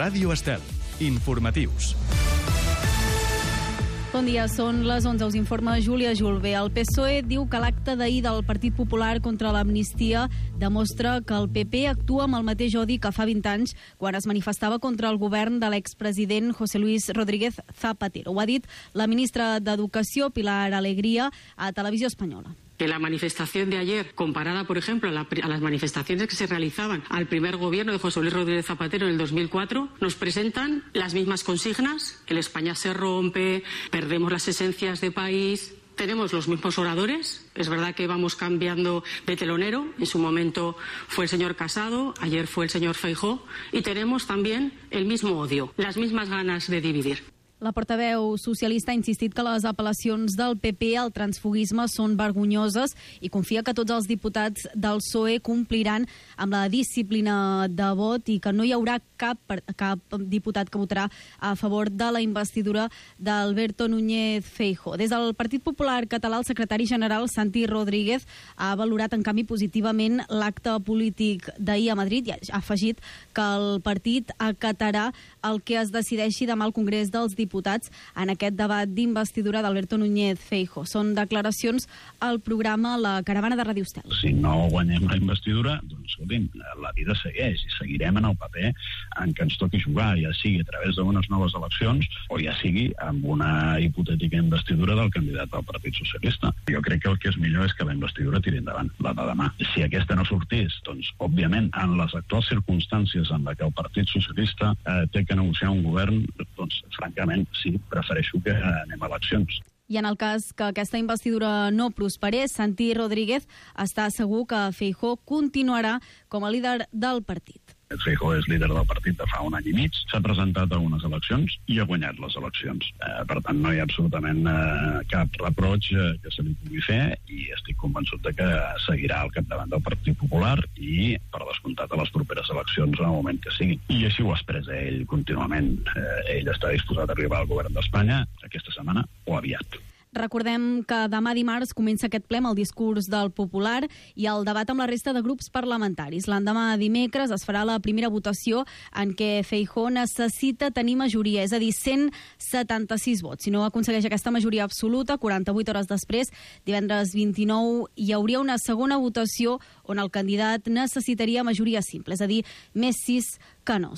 Ràdio Estel. Informatius. Bon dia, són les 11, us informa Júlia Julve. El PSOE diu que l'acte d'ahir del Partit Popular contra l'amnistia demostra que el PP actua amb el mateix odi que fa 20 anys quan es manifestava contra el govern de l'expresident José Luis Rodríguez Zapatero. Ho ha dit la ministra d'Educació, Pilar Alegría, a Televisió Espanyola. Que la manifestación de ayer, comparada, por ejemplo, a las manifestaciones que se realizaban al primer gobierno de José Luis Rodríguez Zapatero en el 2004, nos presentan las mismas consignas: el España se rompe, perdemos las esencias de país. Tenemos los mismos oradores, es verdad que vamos cambiando de telonero, en su momento fue el señor Casado, ayer fue el señor Feijóo, y tenemos también el mismo odio, las mismas ganas de dividir. La portaveu socialista ha insistit que les apel·lacions del PP al transfuguisme són vergonyoses i confia que tots els diputats del PSOE compliran amb la disciplina de vot i que no hi haurà cap diputat que votarà a favor de la investidura d'Alberto Núñez Feijóo. Des del Partit Popular Català, el secretari general Santi Rodríguez ha valorat en canvi positivament l'acte polític d'ahir a Madrid i ha afegit que el partit acatarà el que es decideixi demà al Congrés dels Diputats en aquest debat d'investidura d'Alberto Núñez Feijóo. Són declaracions al programa La Caravana de Ràdio Estel. Si no guanyem la investidura, doncs escolti'm, la vida segueix i seguirem en el paper en què ens toqui jugar, ja sigui a través d'unes noves eleccions o ja sigui amb una hipotètica investidura del candidat del Partit Socialista. Jo crec que el que és millor és que la investidura tiri endavant, la de demà. Si aquesta no sortís, doncs, òbviament, en les actuals circumstàncies en què el Partit Socialista té que negociar un govern, doncs, francament, sí, prefereixo que anem a eleccions. I en el cas que aquesta investidura no prosperés, Santi Rodríguez està segur que Feijóo continuarà com a líder del partit. Feijóo és líder del partit de fa un any i mig, s'ha presentat a unes eleccions i ha guanyat les eleccions. Per tant, no hi ha absolutament cap reproig que se li pugui fer i estic convençut de que seguirà al capdavant del Partit Popular i, per descomptat, a les properes eleccions en el moment que sigui. I així ho expressa ell contínuament. Ell està disposat a arribar al govern d'Espanya aquesta setmana o aviat. Recordem que demà dimarts comença aquest ple amb el discurs del Popular i el debat amb la resta de grups parlamentaris. L'endemà dimecres es farà la primera votació en què Feijóo necessita tenir majoria, és a dir, 176 vots. Si no aconsegueix aquesta majoria absoluta, 48 hores després, divendres 29, hi hauria una segona votació on el candidat necessitaria majoria simple, és a dir, més 6 que no.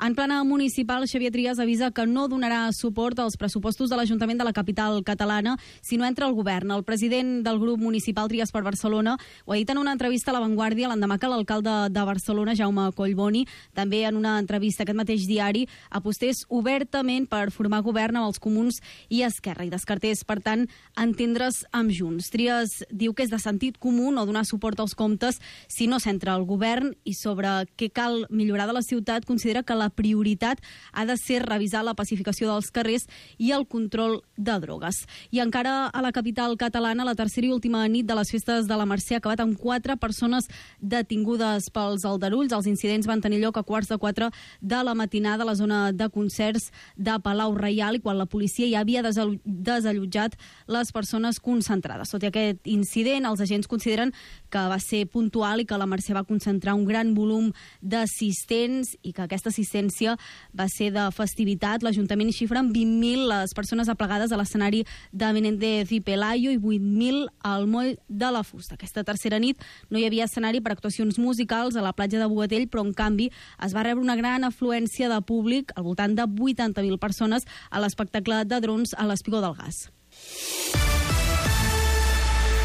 En plana municipal, Xavier Trias avisa que no donarà suport als pressupostos de l'Ajuntament de la capital catalana si no entra al govern. El president del grup municipal Trias per Barcelona ho ha dit en una entrevista a La Vanguardia l'endemà que l'alcalde de Barcelona, Jaume Collboni, també en una entrevista a aquest mateix diari, apostés obertament per formar govern amb els comuns i Esquerra i descartés, per tant, entendre's amb Junts. Trias diu que és de sentit comú no donar suport als comptes si no s'entra al govern i sobre què cal millorar de la ciutat considera que la prioritat ha de ser revisar la pacificació dels carrers i el control de drogues. I encara a la capital catalana, la tercera i última nit de les festes de la Mercè ha acabat amb 4 persones detingudes pels aldarulls. Els incidents van tenir lloc a 3:15 de la matinada a la zona de concerts de Palau Reial i quan la policia ja havia desallotjat les persones concentrades. Tot i aquest incident, els agents consideren que va ser puntual i que la Mercè va concentrar un gran volum d'assistents i que aquesta assistència va ser de festivitat. L'Ajuntament xifra en 20.000 les persones aplegades a l'escenari de Menéndez i Pelayo i 8.000 al moll de la Fusta. Aquesta tercera nit no hi havia escenari per actuacions musicals a la platja de Bogatell, però en canvi es va rebre una gran afluència de públic, al voltant de 80.000 persones, a l'espectacle de drons a l'Espigó del Gas.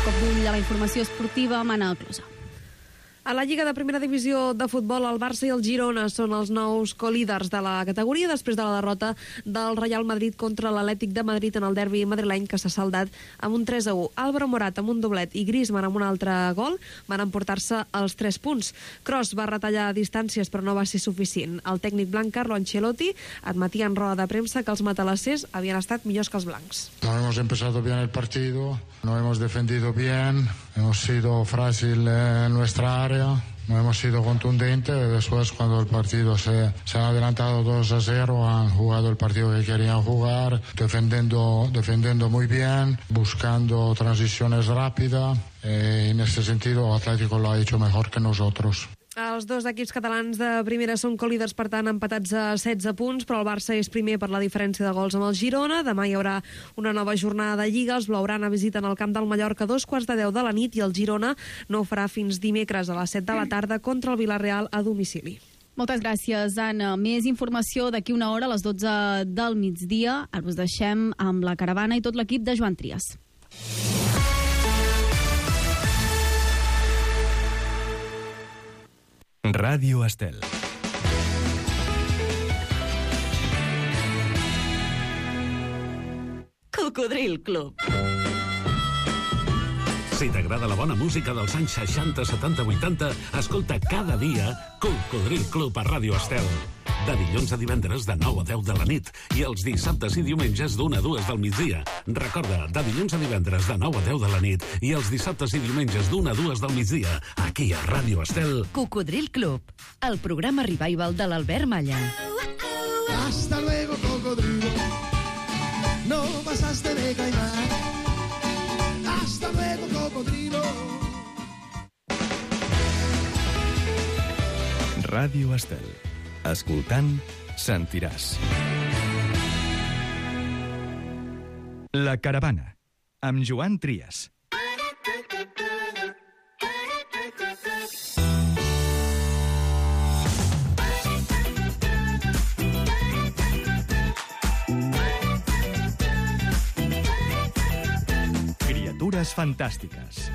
Cop d'ull a la informació esportiva, Mana Closa. A la Lliga de Primera Divisió de Futbol, el Barça i el Girona són els nous colíders de la categoria després de la derrota del Real Madrid contra l'Atlètic de Madrid en el derbi madrileny que s'ha saldat amb un 3-1. Álvaro Morat amb un doblet i Griezmann amb un altre gol van emportar-se els 3 punts. Kroos va retallar distàncies però no va ser suficient. El tècnic blanc Carlo Ancelotti admetia en roda de premsa que els matalassers havien estat millors que els blancs. No hemos empezado bien el partido, no hemos defendido bien, hemos sido frágil en nuestra área. No hemos sido contundentes. Después, cuando el partido se han adelantado 2-0, han jugado el partido que querían jugar, defendiendo muy bien, buscando transiciones rápidas. En ese sentido, Atlético lo ha hecho mejor que nosotros. Els dos equips catalans de primera són colíders, per tant, empatats a 16 punts, però el Barça és primer per la diferència de gols amb el Girona. Demà hi haurà una nova jornada de Lliga. Els blaugrana visiten el camp del Mallorca a 2:10 de la nit i el Girona no ho farà fins dimecres a les 7 de la tarda contra el Villarreal a domicili. Moltes gràcies, Anna. Més informació d'aquí una hora a les 12 del migdia. Ara us deixem amb la caravana i tot l'equip de Joan Trias. Ràdio Estel. Cocodril Club. Si t'agrada la bona música dels anys 60, 70, 80, escolta cada dia Cocodril Club a Ràdio Estel. De dilluns a divendres de 9 a 10 de la nit i els dissabtes i diumenges d'1 a 2 del migdia. Recorda, de dilluns a divendres de 9 a 10 de la nit i els dissabtes i diumenges d'1 a 2 del migdia, aquí a Ràdio Estel. Cocodril Club, el programa revival de l'Albert Malla. Hasta luego, cocodrilo. No pasaste de caimán. Hasta luego, cocodrilo. Ràdio Estel. Escoltant, sentiràs. La caravana, amb Joan Trias. Criatures fantàstiques.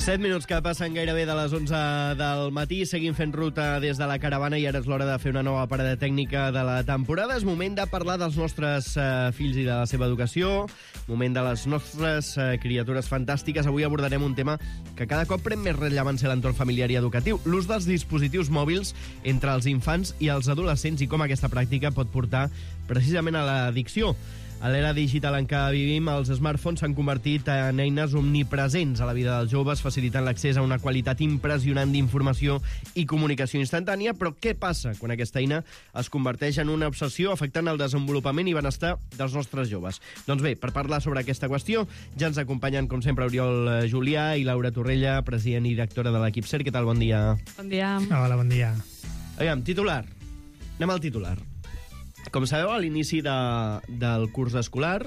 7 minuts que passen gairebé de les 11 del matí. Seguim fent ruta des de la caravana i ara és l'hora de fer una nova parada tècnica de la temporada. És moment de parlar dels nostres fills i de la seva educació, moment de les nostres criatures fantàstiques. Avui abordarem un tema que cada cop pren més rellevància a l'entorn familiar i educatiu, l'ús dels dispositius mòbils entre els infants i els adolescents i com aquesta pràctica pot portar precisament a l'addicció. A l'era digital en què vivim, els smartphones s'han convertit en eines omnipresents a la vida dels joves, facilitant l'accés a una qualitat impressionant d'informació i comunicació instantània. Però què passa quan aquesta eina es converteix en una obsessió afectant el desenvolupament i benestar dels nostres joves? Doncs bé, per parlar sobre aquesta qüestió, ja ens acompanyen, com sempre, Oriol Julià i Laura Torrella, president i directora de l'equip CER. Què tal? Bon dia. Bon dia. Hola, bon dia. Aviam, titular. Anem al titular. Com sabeu, a l'inici del curs escolar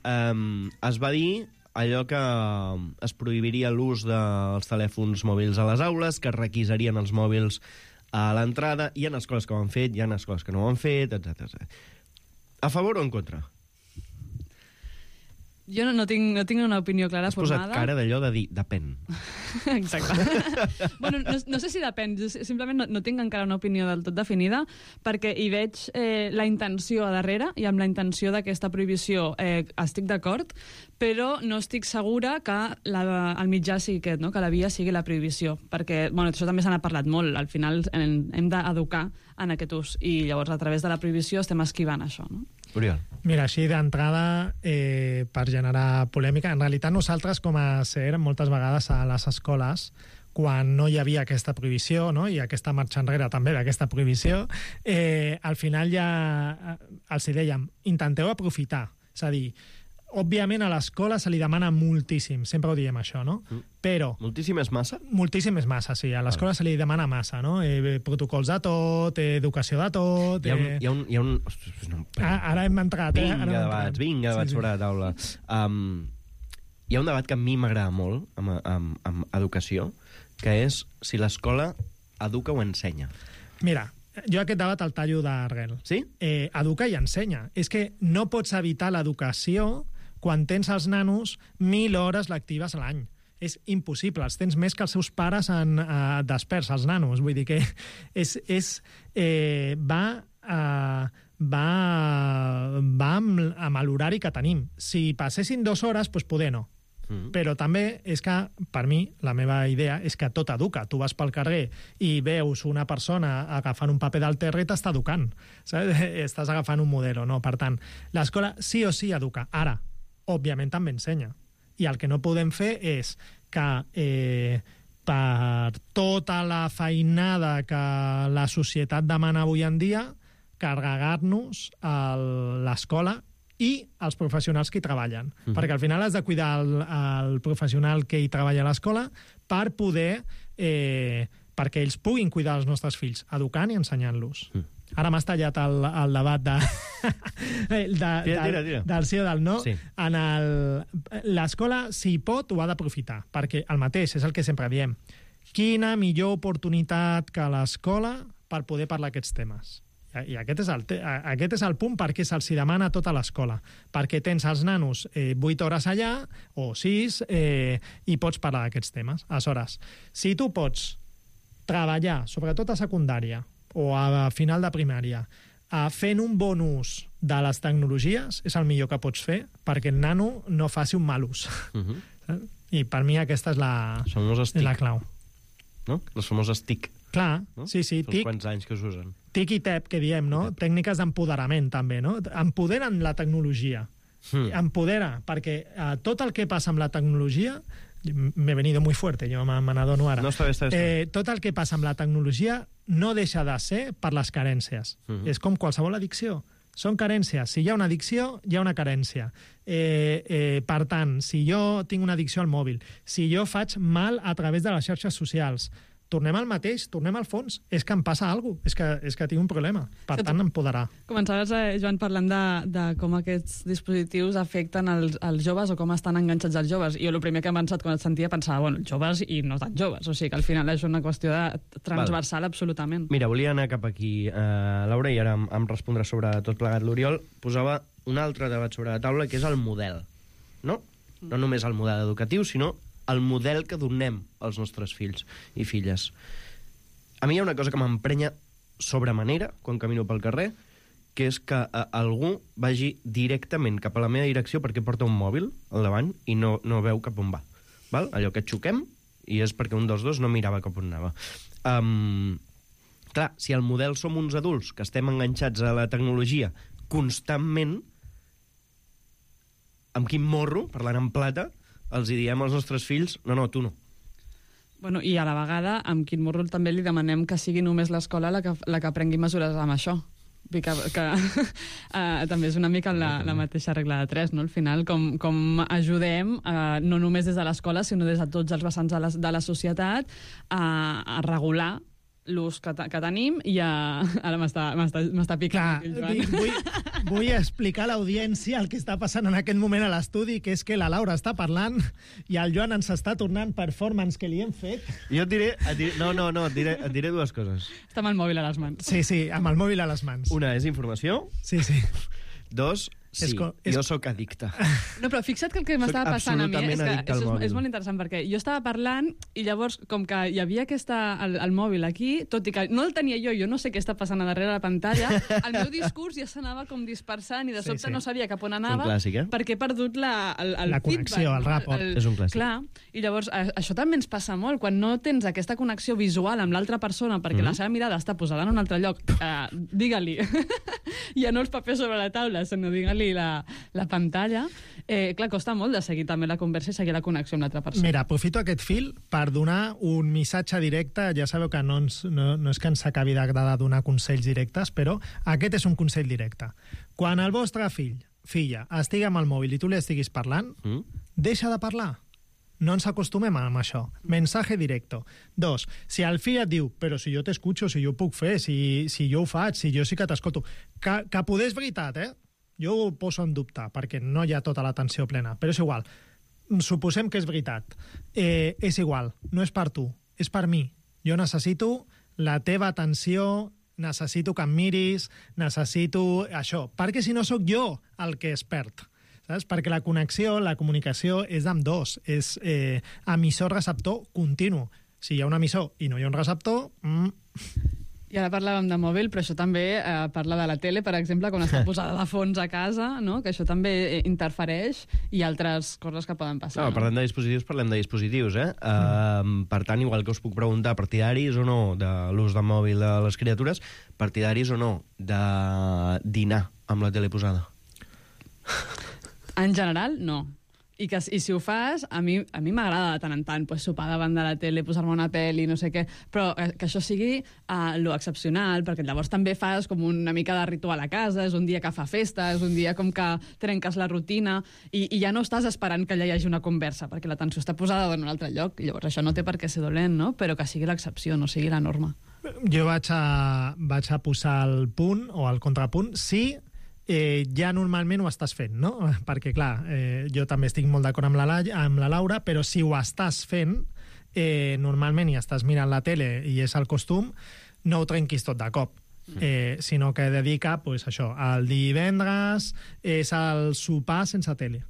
es va dir allò que es prohibiria l'ús dels telèfons mòbils a les aules, que es requisarien els mòbils a l'entrada. Hi ha escoles que ho han fet, hi ha escoles que no ho han fet, etc. A favor o en contra? Jo no tinc una opinió clara formada. Has posat cara d'allò de dir, depèn. Exacte. Bueno, no sé si depèn, simplement no tinc encara una opinió del tot definida, perquè hi veig la intenció a darrere, i amb la intenció d'aquesta prohibició estic d'acord, però no estic segura que el mitjà sigui aquest, no? Que la via sigui la prohibició, perquè això també se n'ha parlat molt, al final hem d'educar en aquest ús, i llavors a través de la prohibició estem esquivant això, no? Oriol. Mira, així d'entrada, per generar polèmica, en realitat nosaltres com a CER moltes vegades a les escoles, quan no hi havia aquesta prohibició, no? I aquesta marxa enrere també d'aquesta prohibició, al final ja els dèiem, intenteu aprofitar, és a dir, òbviament a l'escola se li demana moltíssim, sempre ho diem això, no? Però... Moltíssim és massa? Moltíssim és massa, sí. A l'escola se li demana massa, no? Protocols de tot, educació de tot... Hi ha un... Ara hem entrat, Vinga, debats sobre la taula. Hi ha un debat que a mi m'agrada molt amb educació, que és si l'escola educa o ensenya. Mira, jo aquest debat el tallo d'arrel. Sí? Educa i ensenya. És que no pots evitar l'educació quan tens els nanos 1.000 hores lectives a l'any. És impossible. Els tens més que els seus pares desperts, els nanos. Vull dir que va amb l'horari que tenim. Si passessin 2 hores, doncs poder no. Però també és que, per mi, la meva idea és que tot educa. Tu vas pel carrer i veus una persona agafant un paper del terra i t'està educant. Saps? Estàs agafant un model, no? Per tant, l'escola sí o sí educa. Ara, òbviament també ensenya. I el que no podem fer és que per tota la feinada que la societat demana avui en dia, carregar-nos l'escola i els professionals que hi treballen. Perquè al final has de cuidar el professional que hi treballa a l'escola per poder... perquè ells puguin cuidar els nostres fills, educant i ensenyant-los. Ara m'has tallat el debat del sí o del no. Sí. L'escola, si pot, ho ha d'aprofitar, perquè el mateix és el que sempre diem. Quina millor oportunitat que l'escola per poder parlar aquests temes. I aquest és el punt perquè se'ls demana a tota l'escola. Perquè tens els nanos 8 hores allà, o 6, i pots parlar d'aquests temes. Aleshores, si tu pots treballar, sobretot a secundària o a final de primària, fent un bon ús de les tecnologies, és el millor que pots fer perquè el nano no faci un mal ús. I per mi aquesta és la clau. No? Les famoses TIC. Clar, no? Sí, TIC. Quants anys que s'usen. TIC i TEP, que diem, no? Tècniques d'empoderament, també, no? Empoderen la tecnologia. Empodera, perquè tot el que passa amb la tecnologia... M'he venido muy fuerte, jo me n'adono ara. No, està bé. Tot el que passa amb la tecnologia no deixa de ser per les carències. És com qualsevol addicció. Són carències. Si hi ha una addicció, hi ha una carència. Per tant, si jo tinc una addicció al mòbil, si jo faig mal a través de les xarxes socials, tornem al mateix, tornem al fons. És que em passa alguna cosa, és que tinc un problema. Per tant, empoderar. Començaves, Joan, parlant de com aquests dispositius afecten els joves o com estan enganxats els joves. I jo el primer que he pensat quan et sentia pensava, bueno, joves i no tan joves. O sigui que al final és una qüestió transversal absolutament. Mira, volia anar cap aquí, Laura, i ara em respondrà sobre tot plegat l'Oriol. Posava un altre debat sobre la taula, que és el model. No només el model educatiu, sinó el model que donem als nostres fills i filles. A mi hi ha una cosa que m'emprenya sobremanera quan camino pel carrer, que és que algú vagi directament cap a la meva direcció perquè porta un mòbil al davant i no veu cap on va. Val? Allò que xoquem i és perquè un dels dos no mirava cap on anava. Clar, si el model som uns adults que estem enganxats a la tecnologia constantment, amb quin morro, parlant en plata, els hi diem als nostres fills, no, tu no. Bueno, i a la vegada, amb quin morro també li demanem que sigui només l'escola la que prengui mesures amb això. Que també és una mica la mateixa regla de 3, no? Al final, com ajudem, no només des de l'escola, sinó des de tots els vessants de la societat, a regular l'ús que tenim i ara m'està picant. Vull explicar a l'audiència el que està passant en aquest moment a l'estudi, que és que la Laura està parlant i el Joan ens està tornant performance que li hem fet. Jo et diré dues coses. Està amb el mòbil a les mans. Sí, amb el mòbil a les mans. Una és informació. Sí. Dos, sí, jo sóc addicte. No, però fixa't que el que m'estava passant a mi és que és molt interessant, perquè jo estava parlant i llavors, com que hi havia el mòbil aquí, tot i que no el tenia jo no sé què està passant a darrere la pantalla, el meu discurs ja s'anava com dispersant i de sobte no sabia cap on anava, perquè he perdut la connexió, el rapport. És un clàssic. Clar, i llavors això també ens passa molt, quan no tens aquesta connexió visual amb l'altra persona perquè la seva mirada està posada en un altre lloc, digue-li, ja no els papers sobre la taula, sinó digue-li la pantalla, clar, costa molt de seguir també la conversa i seguir la connexió amb l'altra persona. Mira, aprofito aquest fil per donar un missatge directe. Ja sabeu que no és que ens acabi d'agradar donar consells directes, però aquest és un consell directe. Quan el vostre filla estigui amb el mòbil i tu li estiguis parlant, deixa de parlar. No ens acostumem amb això. Mensaje directo. 2. Si el fill et diu, però si jo t'escucho, si jo ho puc fer, si jo ho faig, si jo sí que t'escolto, que poder és veritat, jo ho poso en dubte, perquè no hi ha tota l'atenció plena, però és igual. Suposem que és veritat. És igual, no és per tu, és per mi. Jo necessito la teva atenció, necessito que em miris, necessito això, perquè si no sóc jo el que es perd. Saps? Perquè la connexió, la comunicació és amb dos, és emissor-receptor continu. Si hi ha un emissor i no hi ha un receptor... I ara parlàvem de mòbil, però això també parla de la tele, per exemple, quan està posada de fons a casa, no? Que això també interfereix i altres coses que poden passar. No, parlem de dispositius, Per tant, igual que us puc preguntar, partidaris o no de l'ús del mòbil de les criatures, partidaris o no de dinar amb la tele posada? En general, no. I si ho fas, a mi m'agrada de tant en tant sopar davant de la tele, posar-me una pel·li, no sé què, però que això sigui lo excepcional, perquè llavors també fas com una mica de ritual a casa, és un dia que fa festa, és un dia com que trenques la rutina, i ja no estàs esperant que allà hi hagi una conversa, perquè l'atenció està posada en un altre lloc, i llavors això no té per què ser dolent, no? Però que sigui l'excepció, no sigui la norma. Jo vaig a posar el punt o el contrapunt, sí, ja normalment ho estàs fent, no? Perquè, clar, jo també estic molt d'acord amb la Laura, però si ho estàs fent, normalment i estàs mirant la tele i és el costum, no ho trenquis tot de cop. Sinó que dedica, pues, això, el divendres és el sopar sense tele.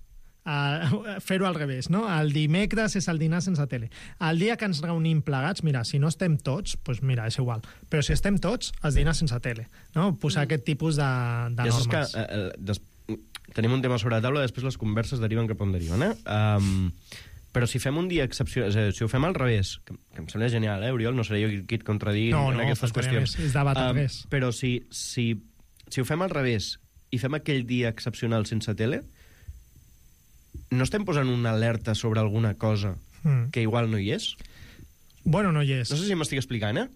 Fer-ho al revés, no? El dimecres és el dinar sense tele. El dia que ens reunim plegats, mira, si no estem tots, doncs mira, és igual. Però si estem tots, els dinars sense tele, no? Posar aquest tipus de normes. Ja saps que tenim un tema sobre la taula, després les converses deriven cap on deriven, però si fem un dia excepcional, si ho fem al revés, que em sembla genial, Oriol, no seré jo qui et contradigui en aquestes qüestions. És debat al revés. Però si ho fem al revés i fem aquell dia excepcional sense tele, no estem posant una alerta sobre alguna cosa que igual no hi és? Bueno, no hi és. No sé si m'estic explicant,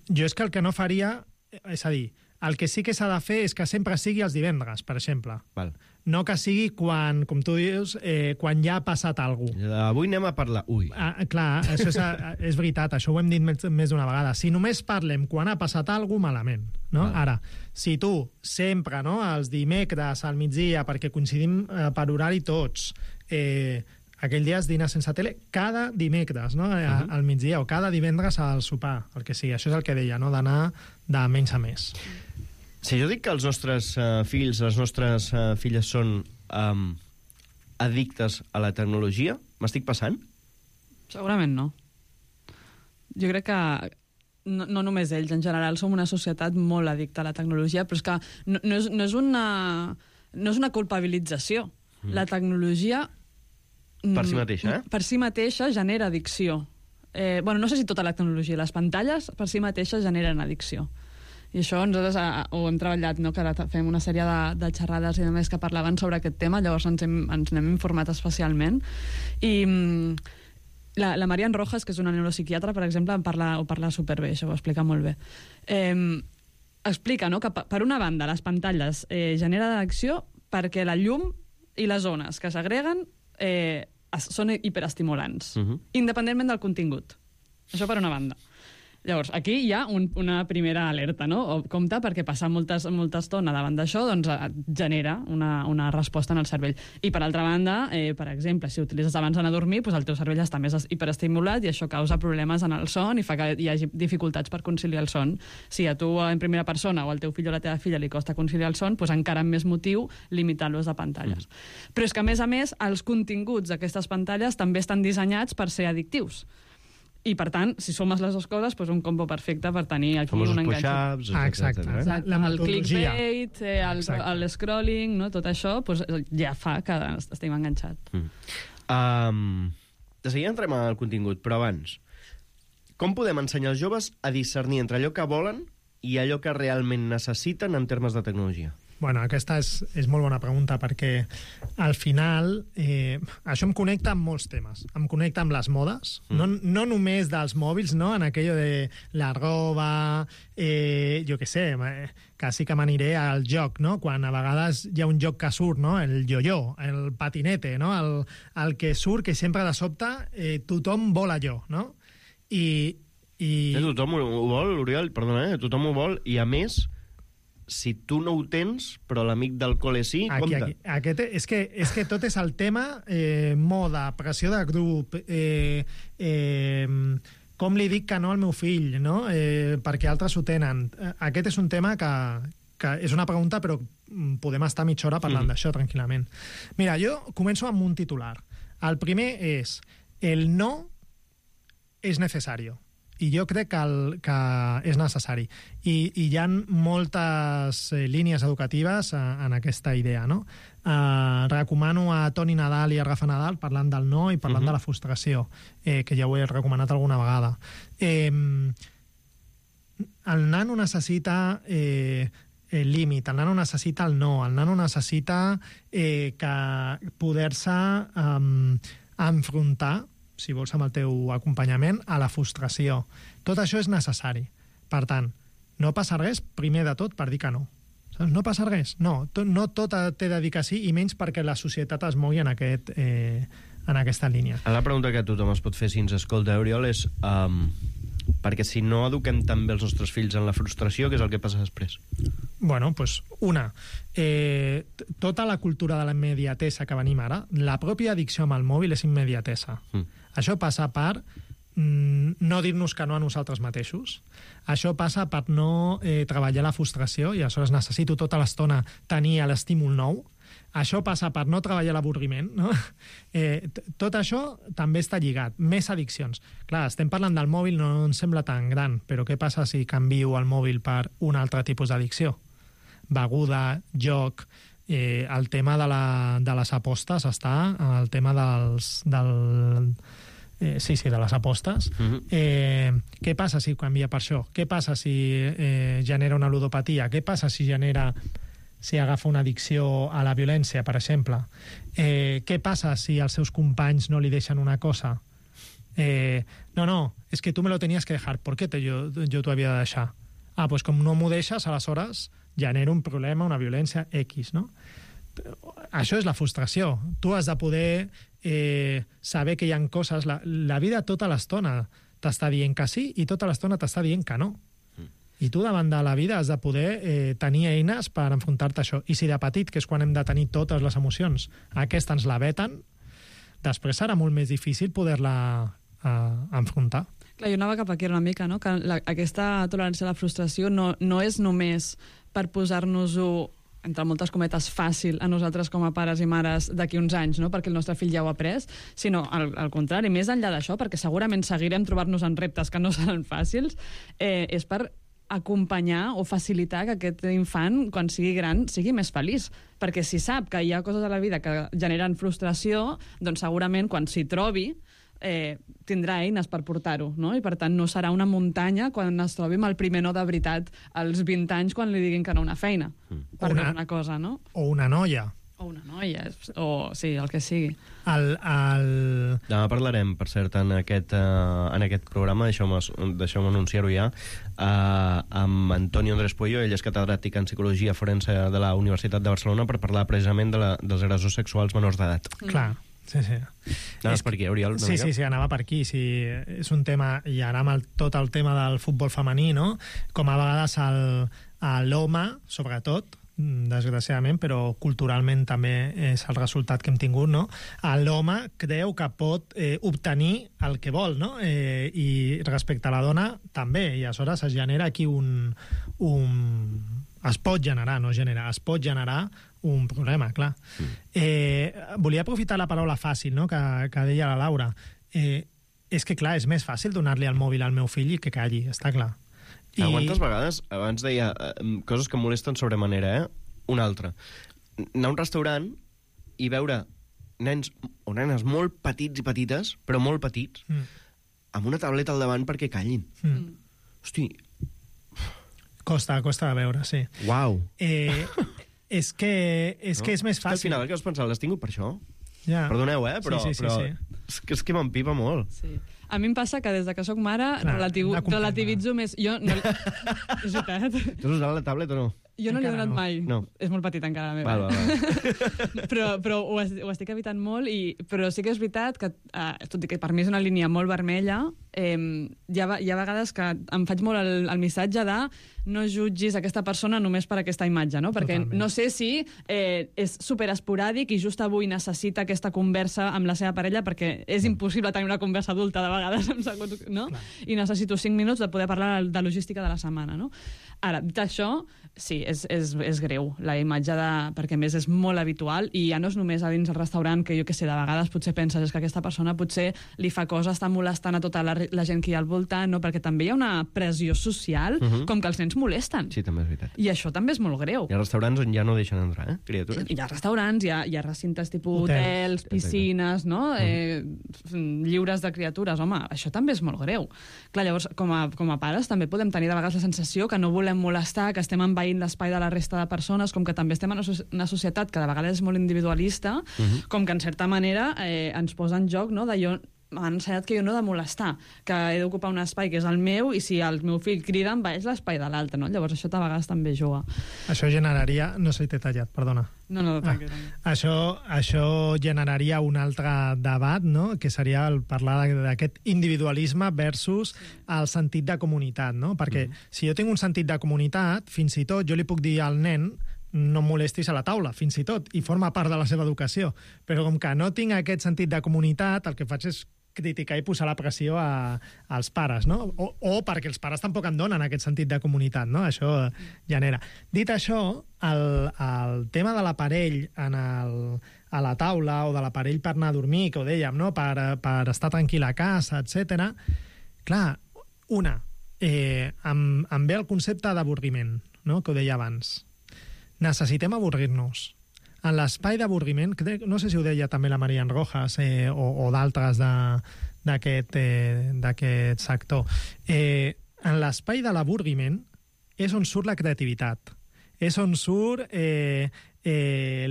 Jo és que el que no faria... És a dir, el que sí que s'ha de fer és que sempre sigui els divendres, per exemple. Val. No que sigui quan, com tu dius, quan ja ha passat alguna cosa. Avui anem a parlar... Ui. Clar, això és veritat, això ho hem dit més d'una vegada. Si només parlem quan ha passat alguna cosa, malament. No? Ara, si tu sempre, no, els dimecres al migdia, perquè coincidim per horari tots, aquell dia es dina sense tele cada dimecres, no? Al migdia, o cada divendres al sopar, el que sigui. Això és el que deia, no? D'anar de menys a més. Si jo dic que els nostres fills, les nostres filles són addictes a la tecnologia, m'estic passant? Segurament no. Jo crec que no només ells, en general som una societat molt addicta a la tecnologia, però és que no és una culpabilització. La tecnologia... Per si mateixa, Per si mateixa genera addicció. No sé si tota la tecnologia, les pantalles per si mateixes generen addicció. I això nosaltres ho hem treballat, no? Que ara fem una sèrie de xerrades i de més que parlaven sobre aquest tema, llavors ens n'hem informat especialment. I la Marian Rojas, que és una neuropsiquiatra, per exemple, ho parla superbé, això ho explica molt bé. Explica, no?, que per una banda les pantalles generen addicció perquè la llum i les ones que s'agreguen són hiperestimulants, independentment del contingut. Això per una banda. Llavors, aquí hi ha una primera alerta, no? Compte, perquè passar molta estona davant d'això doncs, genera una resposta en el cervell. I, per altra banda, per exemple, si utilitzes abans d'anar a dormir, doncs el teu cervell està més hiperestimulat i això causa problemes en el son i fa que hi hagi dificultats per conciliar el son. Si a tu, en primera persona, o al teu fill o la teva filla li costa conciliar el son, doncs encara amb més motiu limitar l'ús de pantalles. Però és que, a més, els continguts d'aquestes pantalles també estan dissenyats per ser addictius. I, per tant, si sumes les dues coses, doncs un combo perfecte per tenir aquí un enganxo. Exacte. El clickbait, el no? Tot això doncs, ja fa que estem enganxats. De seguida entrem al contingut, però abans, com podem ensenyar als joves a discernir entre allò que volen i allò que realment necessiten en termes de tecnologia? Bueno, aquesta és molt bona pregunta perquè al final això em connecta amb molts temes. Em connecta amb les modes, no només dels mòbils, no? En aquello de la roba, jo què sé, quasi que m'aniré al joc, no? Quan a vegades hi ha un joc que surt, no? El yo-yo, el patinete, no? El que surt, que sempre de sobte tothom vol allò, no? Tothom ho vol, Oriol, perdona, tothom ho vol, i a més... Si tu no ho tens, però l'amic del col·le sí, compte. És que tot és el tema moda, pressió de grup, com li dic que no al meu fill, no? Perquè altres ho tenen. Aquest és un tema que és una pregunta, però podem estar mitja hora parlant d'això tranquil·lament. Mira, jo començo amb un titular. El primer és: el no és necessari. I jo crec que és necessari. I hi ha moltes línies educatives en aquesta idea, no? Recomano a Toni Nadal i a Rafa Nadal parlant del no i parlant de la frustració, que ja ho he recomanat alguna vegada. El nano necessita límit, el nano necessita el no, el nano necessita que poder-se enfrontar, si vols amb el teu acompanyament, a la frustració. Tot això és necessari. Per tant, no passa res, primer de tot, per dir que no. Saps? No passa res. No tot té de dir que sí, i menys perquè la societat es mogui en aquesta línia. La pregunta que tothom es pot fer si ens escolta, Oriol, és perquè si no eduquem també els nostres fills en la frustració, què és el que passa després? Bueno, doncs, tota la cultura de la immediatesa que venim ara, la pròpia addicció amb el mòbil és immediatesa. Això passa per no dir-nos que no a nosaltres mateixos. Això passa per no treballar la frustració, i aleshores necessito tota l'estona tenir l'estímul nou. Això passa per no treballar l'avorriment, no? Tot això també està lligat. Més addiccions. Clar, estem parlant del mòbil, no ens sembla tan gran, però què passa si canvio el mòbil per un altre tipus d'addicció? Beguda, joc, el tema de les apostes està, el tema de les apostes. Què passa si canvia per això? Què passa si genera una ludopatia? Què passa si agafa una addicció a la violència, per exemple? Què passa si els seus companys no li deixen una cosa? No, és que tu me lo tenías que dejar. ¿Por qué yo t'ho havia de deixar? Pues com no m'ho deixes, aleshores genera un problema, una violència X, no? Això és la frustració. Tu has de poder saber que hi ha coses... La vida tota l'estona t'està dient que sí i tota l'estona t'està dient que no. I tu davant de la vida has de poder tenir eines per enfrontar-te a això. I si de petit, que és quan hem de tenir totes les emocions, aquesta ens la veten, després serà molt més difícil poder-la enfrontar. Clar, jo anava cap aquí una mica, no? Que aquesta tolerància a la frustració no és només per posar-nos-ho, entre moltes cometes, fàcil a nosaltres com a pares i mares d'aquí uns anys, no? Perquè el nostre fill ja ho ha après, sinó al contrari, més enllà d'això, perquè segurament seguirem trobant-nos en reptes que no seran fàcils, és per acompanyar o facilitar que aquest infant, quan sigui gran, sigui més feliç. Perquè si sap que hi ha coses a la vida que generen frustració, doncs segurament quan s'hi trobi tindrà eines per portar-ho, no? I per tant no serà una muntanya quan es trobi amb el primer no de veritat als 20 anys quan li diguin que no a una feina per una cosa, no? O una noia. O una noia, o sí, el que sigui. Demà parlarem, per cert, en aquest programa, deixeu-me anunciar-ho ja, amb Antonio Andrés Puello. Ell és catedràtic en Psicologia Forense de la Universitat de Barcelona, per parlar precisament dels agressors sexuals menors d'edat. Clar. Sí. Anaves per aquí, Oriol? Sí, anava per aquí. Sí, és un tema, i ara amb tot el tema del futbol femení, no? Com a vegades l'home, sobretot, desgraciadament, però culturalment també és el resultat que hem tingut, no? L'home creu que pot obtenir el que vol, no? I respecte a la dona també, i aleshores es genera aquí es pot generar un problema, clar. Volia aprofitar la paraula fàcil, no?, que deia la Laura. És que, clar, és més fàcil donar-li el mòbil al meu fill i que calli, està clar. Quantes vegades, abans deia coses que em molesten sobremanera, una altra. Anar a un restaurant i veure nens o nenes molt petits i petites, però molt petits, amb una tauleta al davant perquè callin. Hosti... Costa de veure, sí. Uau! És que és més fàcil. Al final, què has pensat? L'has tingut per això? Ja. Perdoneu, però és que m'empipa molt. Sí. A mi em passa que des de que soc mare relativitzo més... Jo no... És veritat. Tu has usat la tablet o no? Jo no l'he donat mai. No. És molt petit encara, la meva. Val. Però ho estic evitant molt, però sí que és veritat que, tot i que per mi és una línia molt vermella, hi ha vegades que em faig molt el missatge de no jutgis aquesta persona només per aquesta imatge, no? Perquè no sé si és superesporàdic i just avui necessita aquesta conversa amb la seva parella, perquè és impossible tenir una conversa adulta de vegades en segons, no? I necessito 5 minuts de poder parlar de logística de la setmana, no? Ara, dit això, sí, és greu la imatge perquè a més és molt habitual i ja no és només a dins el restaurant que jo que sé, de vegades potser penses és que aquesta persona potser li fa coses, està molestant a tota la gent que hi ha al voltant, no? Perquè també hi ha una pressió social com que els nens molesten. Sí, també és veritat. I això també és molt greu. Hi ha restaurants on ja no deixen entrar, criatures? Hi ha restaurants, hi ha recintes tipus hotels, piscines, no? Lliures de criatures. Home, això també és molt greu. Clar, llavors, com a pares també podem tenir de vegades la sensació que no volem molestar, que estem amb envaint l'espai de la resta de persones, com que també estem en una societat que de vegades és molt individualista, com que en certa manera ens posa en joc, no?, d'allò m'han ensenyat que jo no he de molestar, que he d'ocupar un espai que és el meu i si el meu fill crida envaeix l'espai de l'altre, no? Llavors això a vegades també juga. Això generaria... No sé si t'he tallat, perdona. No, tranquil. Això generaria un altre debat, no?, que seria el parlar d'aquest individualisme versus el sentit de comunitat, no? Perquè si jo tinc un sentit de comunitat, fins i tot jo li puc dir al nen no em molestis a la taula, fins i tot, i forma part de la seva educació. Però com que no tinc aquest sentit de comunitat, el que faig és criticar i posar la pressió als pares, no? O perquè els pares tampoc en donen aquest sentit de comunitat, no? Això genera. Dit això, el tema de l'aparell a la taula o de l'aparell per anar a dormir, que ho dèiem, no?, per estar tranquil a casa, etc. Clar, em ve el concepte d'avorriment, no?, que ho deia abans. Necessitem avorrir-nos. En l'espai d'avorriment, no sé si ho deia també la Marian Rojas o d'altres d'aquest sector, en l'espai de l'avorriment és on surt la creativitat, és on surt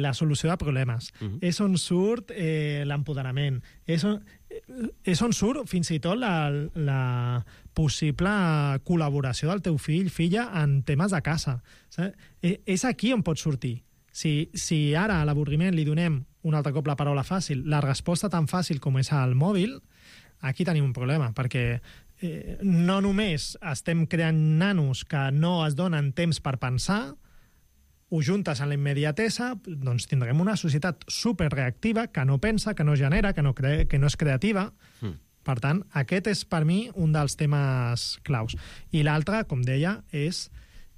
la solució de problemes, és on surt l'empoderament, és on surt fins i tot la possible col·laboració del teu fill, filla, en temes de casa. És aquí on pot sortir. Si ara a l'avorriment li donem un altre cop la paraula fàcil, la resposta tan fàcil com és al mòbil, aquí tenim un problema, perquè no només estem creant nanos que no es donen temps per pensar, ho juntes en la immediatesa, doncs tindrem una societat superreactiva que no pensa, que no genera, que no és creativa. Per tant, aquest és per mi un dels temes claus. I l'altre, com deia, és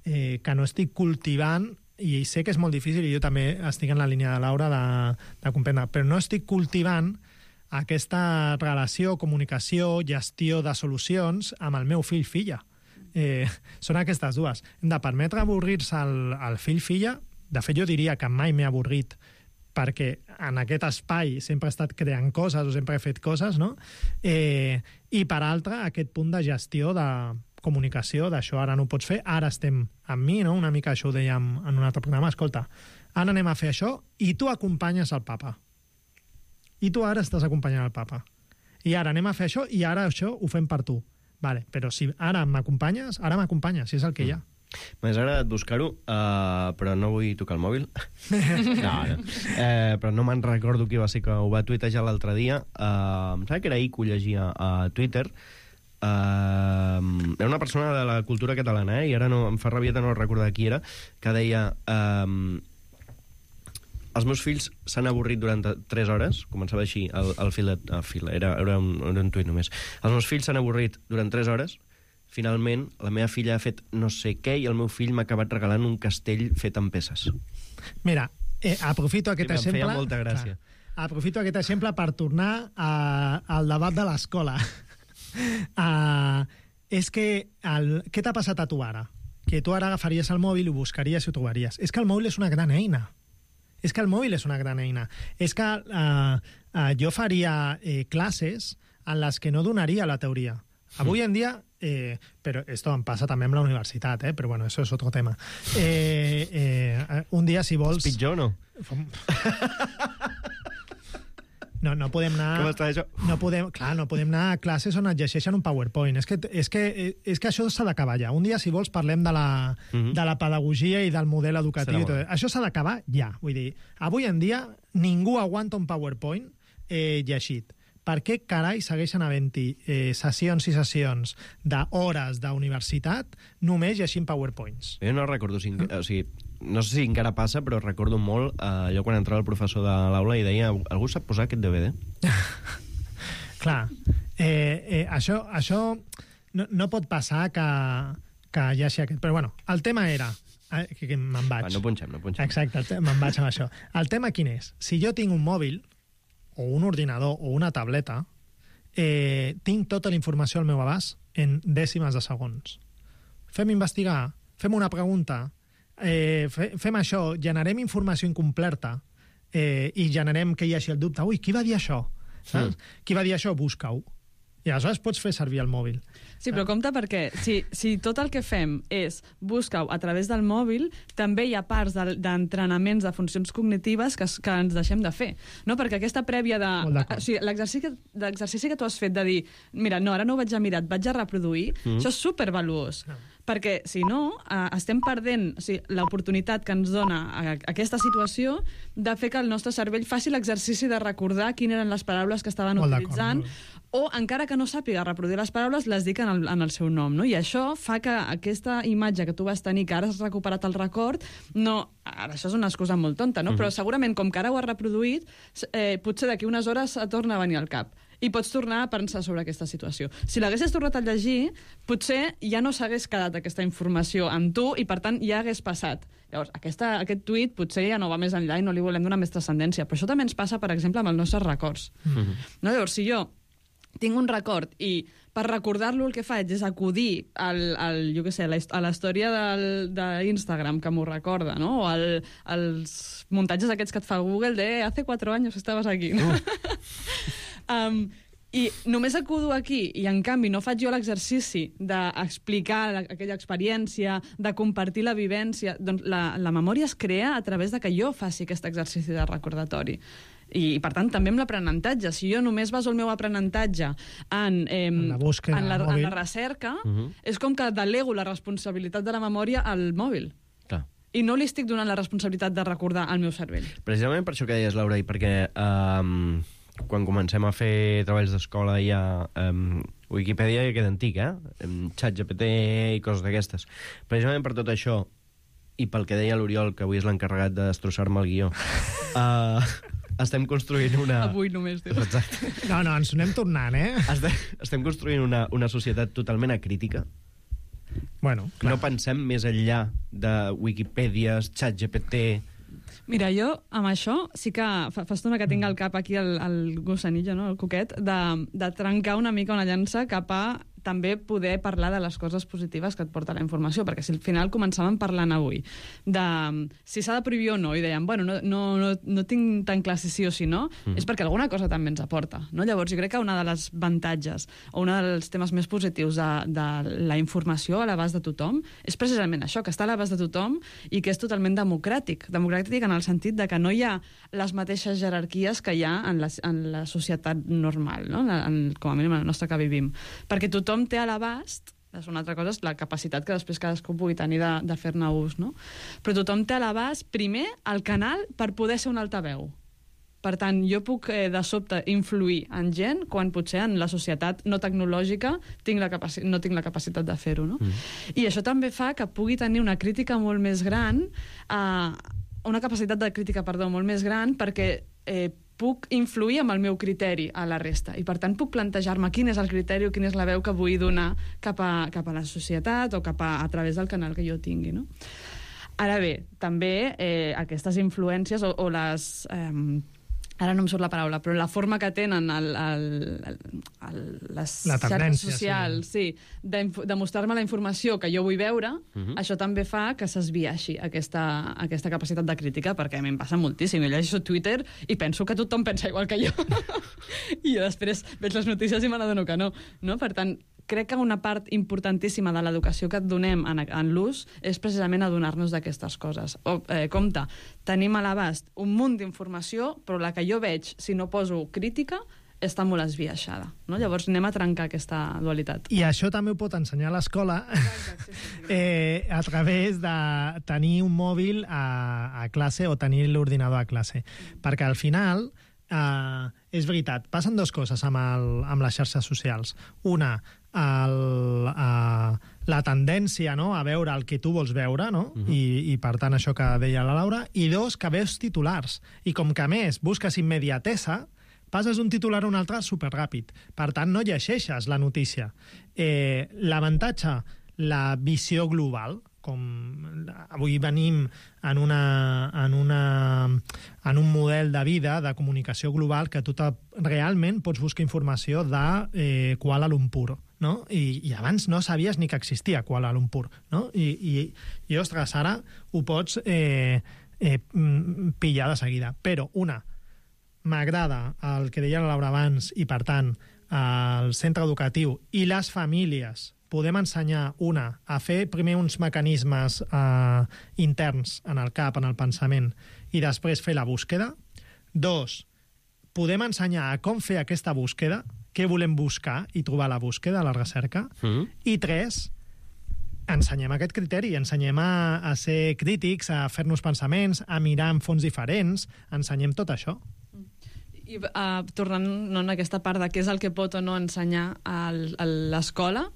que no estic cultivant, i sé que és molt difícil i jo també estic en la línia de Laura de comprendre, però no estic cultivant aquesta relació, comunicació, gestió de solucions amb el meu fill-filla. Són aquestes dues. Hem de permetre avorrir-se al fill-filla. De fet, jo diria que mai m'he avorrit perquè en aquest espai sempre he estat creant coses o sempre he fet coses, no? I per altra, aquest punt de gestió de comunicació, d'això ara no ho pots fer, ara estem amb mi, no? Una mica això ho dèiem en un altre programa, escolta, ara anem a fer això i tu acompanyes el papa. I tu ara estàs acompanyant el papa. I ara anem a fer això i ara això ho fem per tu. Vale, però si ara m'acompanyes, si és el que hi ha. M'hagués agradat buscar-ho, però no vull tocar el mòbil. No. Però no me'n recordo qui va ser que ho va tuitejar l'altre dia. Em sembla que era ahir que ho llegia a Twitter. Era una persona de la cultura catalana, i ara no, em fa rabieta no recordar qui era, que deia els meus fills s'han avorrit durant 3 hores, començava així el fil, era un tuit només, els meus fills s'han avorrit durant 3 hores, finalment la meva filla ha fet no sé què i el meu fill m'ha acabat regalant un castell fet amb peces. Mira, aprofito aquest exemple... Em feia molta gràcia. Aprofito aquest exemple per tornar al debat de l'escola. És que què t'ha passat a tu ara? Que tu ara agafaries el mòbil i ho buscaries i ho trobaries. És que el mòbil és una gran eina. És que jo faria classes en les que no donaria la teoria. Avui en dia, però esto em passa també amb la universitat, però bueno, eso es otro tema. Un dia, si vols... És pitjor, no? No podem anar... Com està això? No podem anar a classes on et llegeixen un PowerPoint. És que això s'ha d'acabar ja. Un dia, si vols, parlem de la pedagogia i del model educatiu. I tot. Això s'ha d'acabar ja. Vull dir, avui en dia ningú aguanta un PowerPoint llegit. Per què carai segueixen havent-hi sessions i sessions d'hores d'universitat només llegint PowerPoints? Jo no recordo, o sigui, no sé si encara passa, però recordo molt allò quan entrava el professor de l'aula i deia, algú sap posar aquest DVD? Clar, això no pot passar que hi hagi aquest... Però bueno, el tema era... que me'n vaig. No punxem. Exacte, me'n vaig amb això. El tema quin és? Si jo tinc un mòbil, o un ordinador, o una tableta, tinc tota la informació al meu abast en dècimes de segons. Fem investigar, fem una pregunta, fem això, generem informació incompleta i generem que hi hagi el dubte. Ui, qui va dir això? Saps? Qui va dir això? Busca-ho. I aleshores pots fer servir el mòbil. Sí, però compte perquè si tot el que fem és buscar-ho a través del mòbil, també hi ha parts d'entrenaments de funcions cognitives que ens deixem de fer. No? Perquè aquesta prèvia de... O sigui, l'exercici que tu has fet de dir mira, no, ara no ho vaig a mirar, et vaig a reproduir, això és supervaluós. Perquè, si no, estem perdent l'oportunitat que ens dona aquesta situació de fer que el nostre cervell faci l'exercici de recordar quines eren les paraules que estaven utilitzant, o, encara que no sàpiga reproduir les paraules, les dic en el seu nom. No? I això fa que aquesta imatge que tu vas tenir, que ara has recuperat el record, no... Ara, això és una excusa molt tonta, no? Però segurament, com que ara ho has reproduït, potser d'aquí unes hores et torna a venir al cap. I pots tornar a pensar sobre aquesta situació. Si l'haguessis tornat a llegir, potser ja no s'hagués quedat aquesta informació amb tu i, per tant, ja hagués passat. Llavors, aquest tuit potser ja no va més enllà i no li volem donar més transcendència. Però això també ens passa, per exemple, amb els nostres records. No? Llavors, si jo tinc un record i per recordar-lo el que faig és acudir jo què sé, a la història d'Instagram que m'ho recorda, no? O als muntatges aquests que et fa Google de hace 4 años estaves aquí. No? I només acudo aquí i, en canvi, no faig jo l'exercici d'explicar aquella experiència, de compartir la vivència. Doncs la memòria es crea a través de que jo faci aquest exercici de recordatori. I, per tant, també amb l'aprenentatge. Si jo només baso el meu aprenentatge en la recerca, és com que delego la responsabilitat de la memòria al mòbil. Clar. I no li estic donant la responsabilitat de recordar al meu cervell. Precisament per això que deies, Laura, i perquè quan comencem a fer treballs d'escola ja... Wikipedia ja queda antic, ChatGPT i coses d'aquestes. Precisament per tot això, i pel que deia l'Oriol, que avui és l'encarregat de destrossar-me el guió, estem construint una... Avui només, dius. Exacte. No, ens anem tornant, Estem construint una societat totalment acrítica. Bueno, clar. No pensem més enllà de Wikipèdies, ChatGPT... Mira, jo amb això sí que fa estona que tinc al cap aquí el gossanillo, no? El coquet, de trencar una mica una llança cap a també poder parlar de les coses positives que et porta la informació, perquè si al final començàvem parlant avui de si s'ha de prohibir o no, i dèiem, bueno, no tinc tan clar si sí o si no, és perquè alguna cosa també ens aporta, no? Llavors, jo crec que una de les avantatges o un dels temes més positius de la informació a l'abast de tothom és precisament això, que està a l'abast de tothom i que és totalment democràtic en el sentit de que no hi ha les mateixes jerarquies que hi ha en la societat normal, no? Com a mínim en la nostra que vivim. Perquè tothom té a l'abast, és una altra cosa, és la capacitat que després cadascú pugui tenir de fer-ne ús, no? Però tothom té a l'abast, primer, el canal per poder ser un altaveu. Per tant, jo puc, de sobte, influir en gent quan potser en la societat no tecnològica no tinc la capacitat de fer-ho, no? I això també fa que pugui tenir una crítica molt més gran, una capacitat de crítica, molt més gran, perquè puc influir amb el meu criteri a la resta i, per tant, puc plantejar-me quin és el criteri o quina és la veu que vull donar cap a la societat o a través del canal que jo tingui, no? Ara bé, també aquestes influències o les... ara no em surt la paraula, però la forma que tenen les xarxes socials, sí, de mostrar-me la informació que jo vull veure, això també fa que s'esbiaixi aquesta capacitat de crítica, perquè a mi em passa moltíssim. Jo llegeixo Twitter i penso que tothom pensa igual que jo. I jo després veig les notícies i me n'adono que no. Per tant, crec que una part importantíssima de l'educació que et donem en l'ús és precisament adonar-nos d'aquestes coses. Compte, tenim a l'abast un munt d'informació, però la que jo veig, si no poso crítica, està molt esbiaixada. No? Llavors anem a trencar aquesta dualitat. I això també ho pot ensenyar a l'escola a través de tenir un mòbil a classe o tenir l'ordinador a classe. Perquè al final... és veritat, passen dues coses amb les xarxes socials. Una, la tendència, no?, a veure el que tu vols veure, no? I per tant això que deia la Laura. I dos, que veus titulars. I com que a més busques immediatesa, passes d'un titular a un altre superràpid. Per tant, no llegeixes la notícia. L'avantatge, la visió global, com avui venim en un model de vida, de comunicació global, que tu realment pots buscar informació de Kuala Lumpur, no? I abans no sabies ni que existia Kuala Lumpur, no? I ostres, ara ho pots pillar de seguida. Però, m'agrada el que deia la Laura abans, i per tant, el centre educatiu i les famílies podem ensenyar, a fer primer uns mecanismes interns en el cap, en el pensament, i després fer la búsqueda. 2, podem ensenyar a com fer aquesta búsqueda, què volem buscar i trobar la búsqueda, la recerca. I 3, ensenyem aquest criteri, ensenyem a ser crítics, a fer-nos pensaments, a mirar en fonts diferents, ensenyem tot això. I tornant en aquesta part de què és el que pot o no ensenyar a l'escola,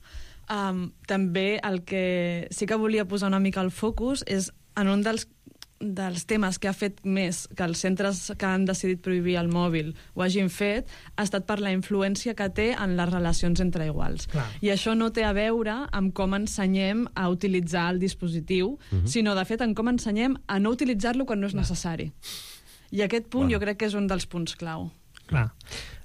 també el que sí que volia posar una mica el focus és en un dels temes que ha fet més que els centres que han decidit prohibir el mòbil ho hagin fet, ha estat per la influència que té en les relacions entre iguals. Clar. I això no té a veure amb com ensenyem a utilitzar el dispositiu, sinó, de fet, en com ensenyem a no utilitzar-lo quan no és necessari. I aquest punt jo crec que és un dels punts clau. Clar.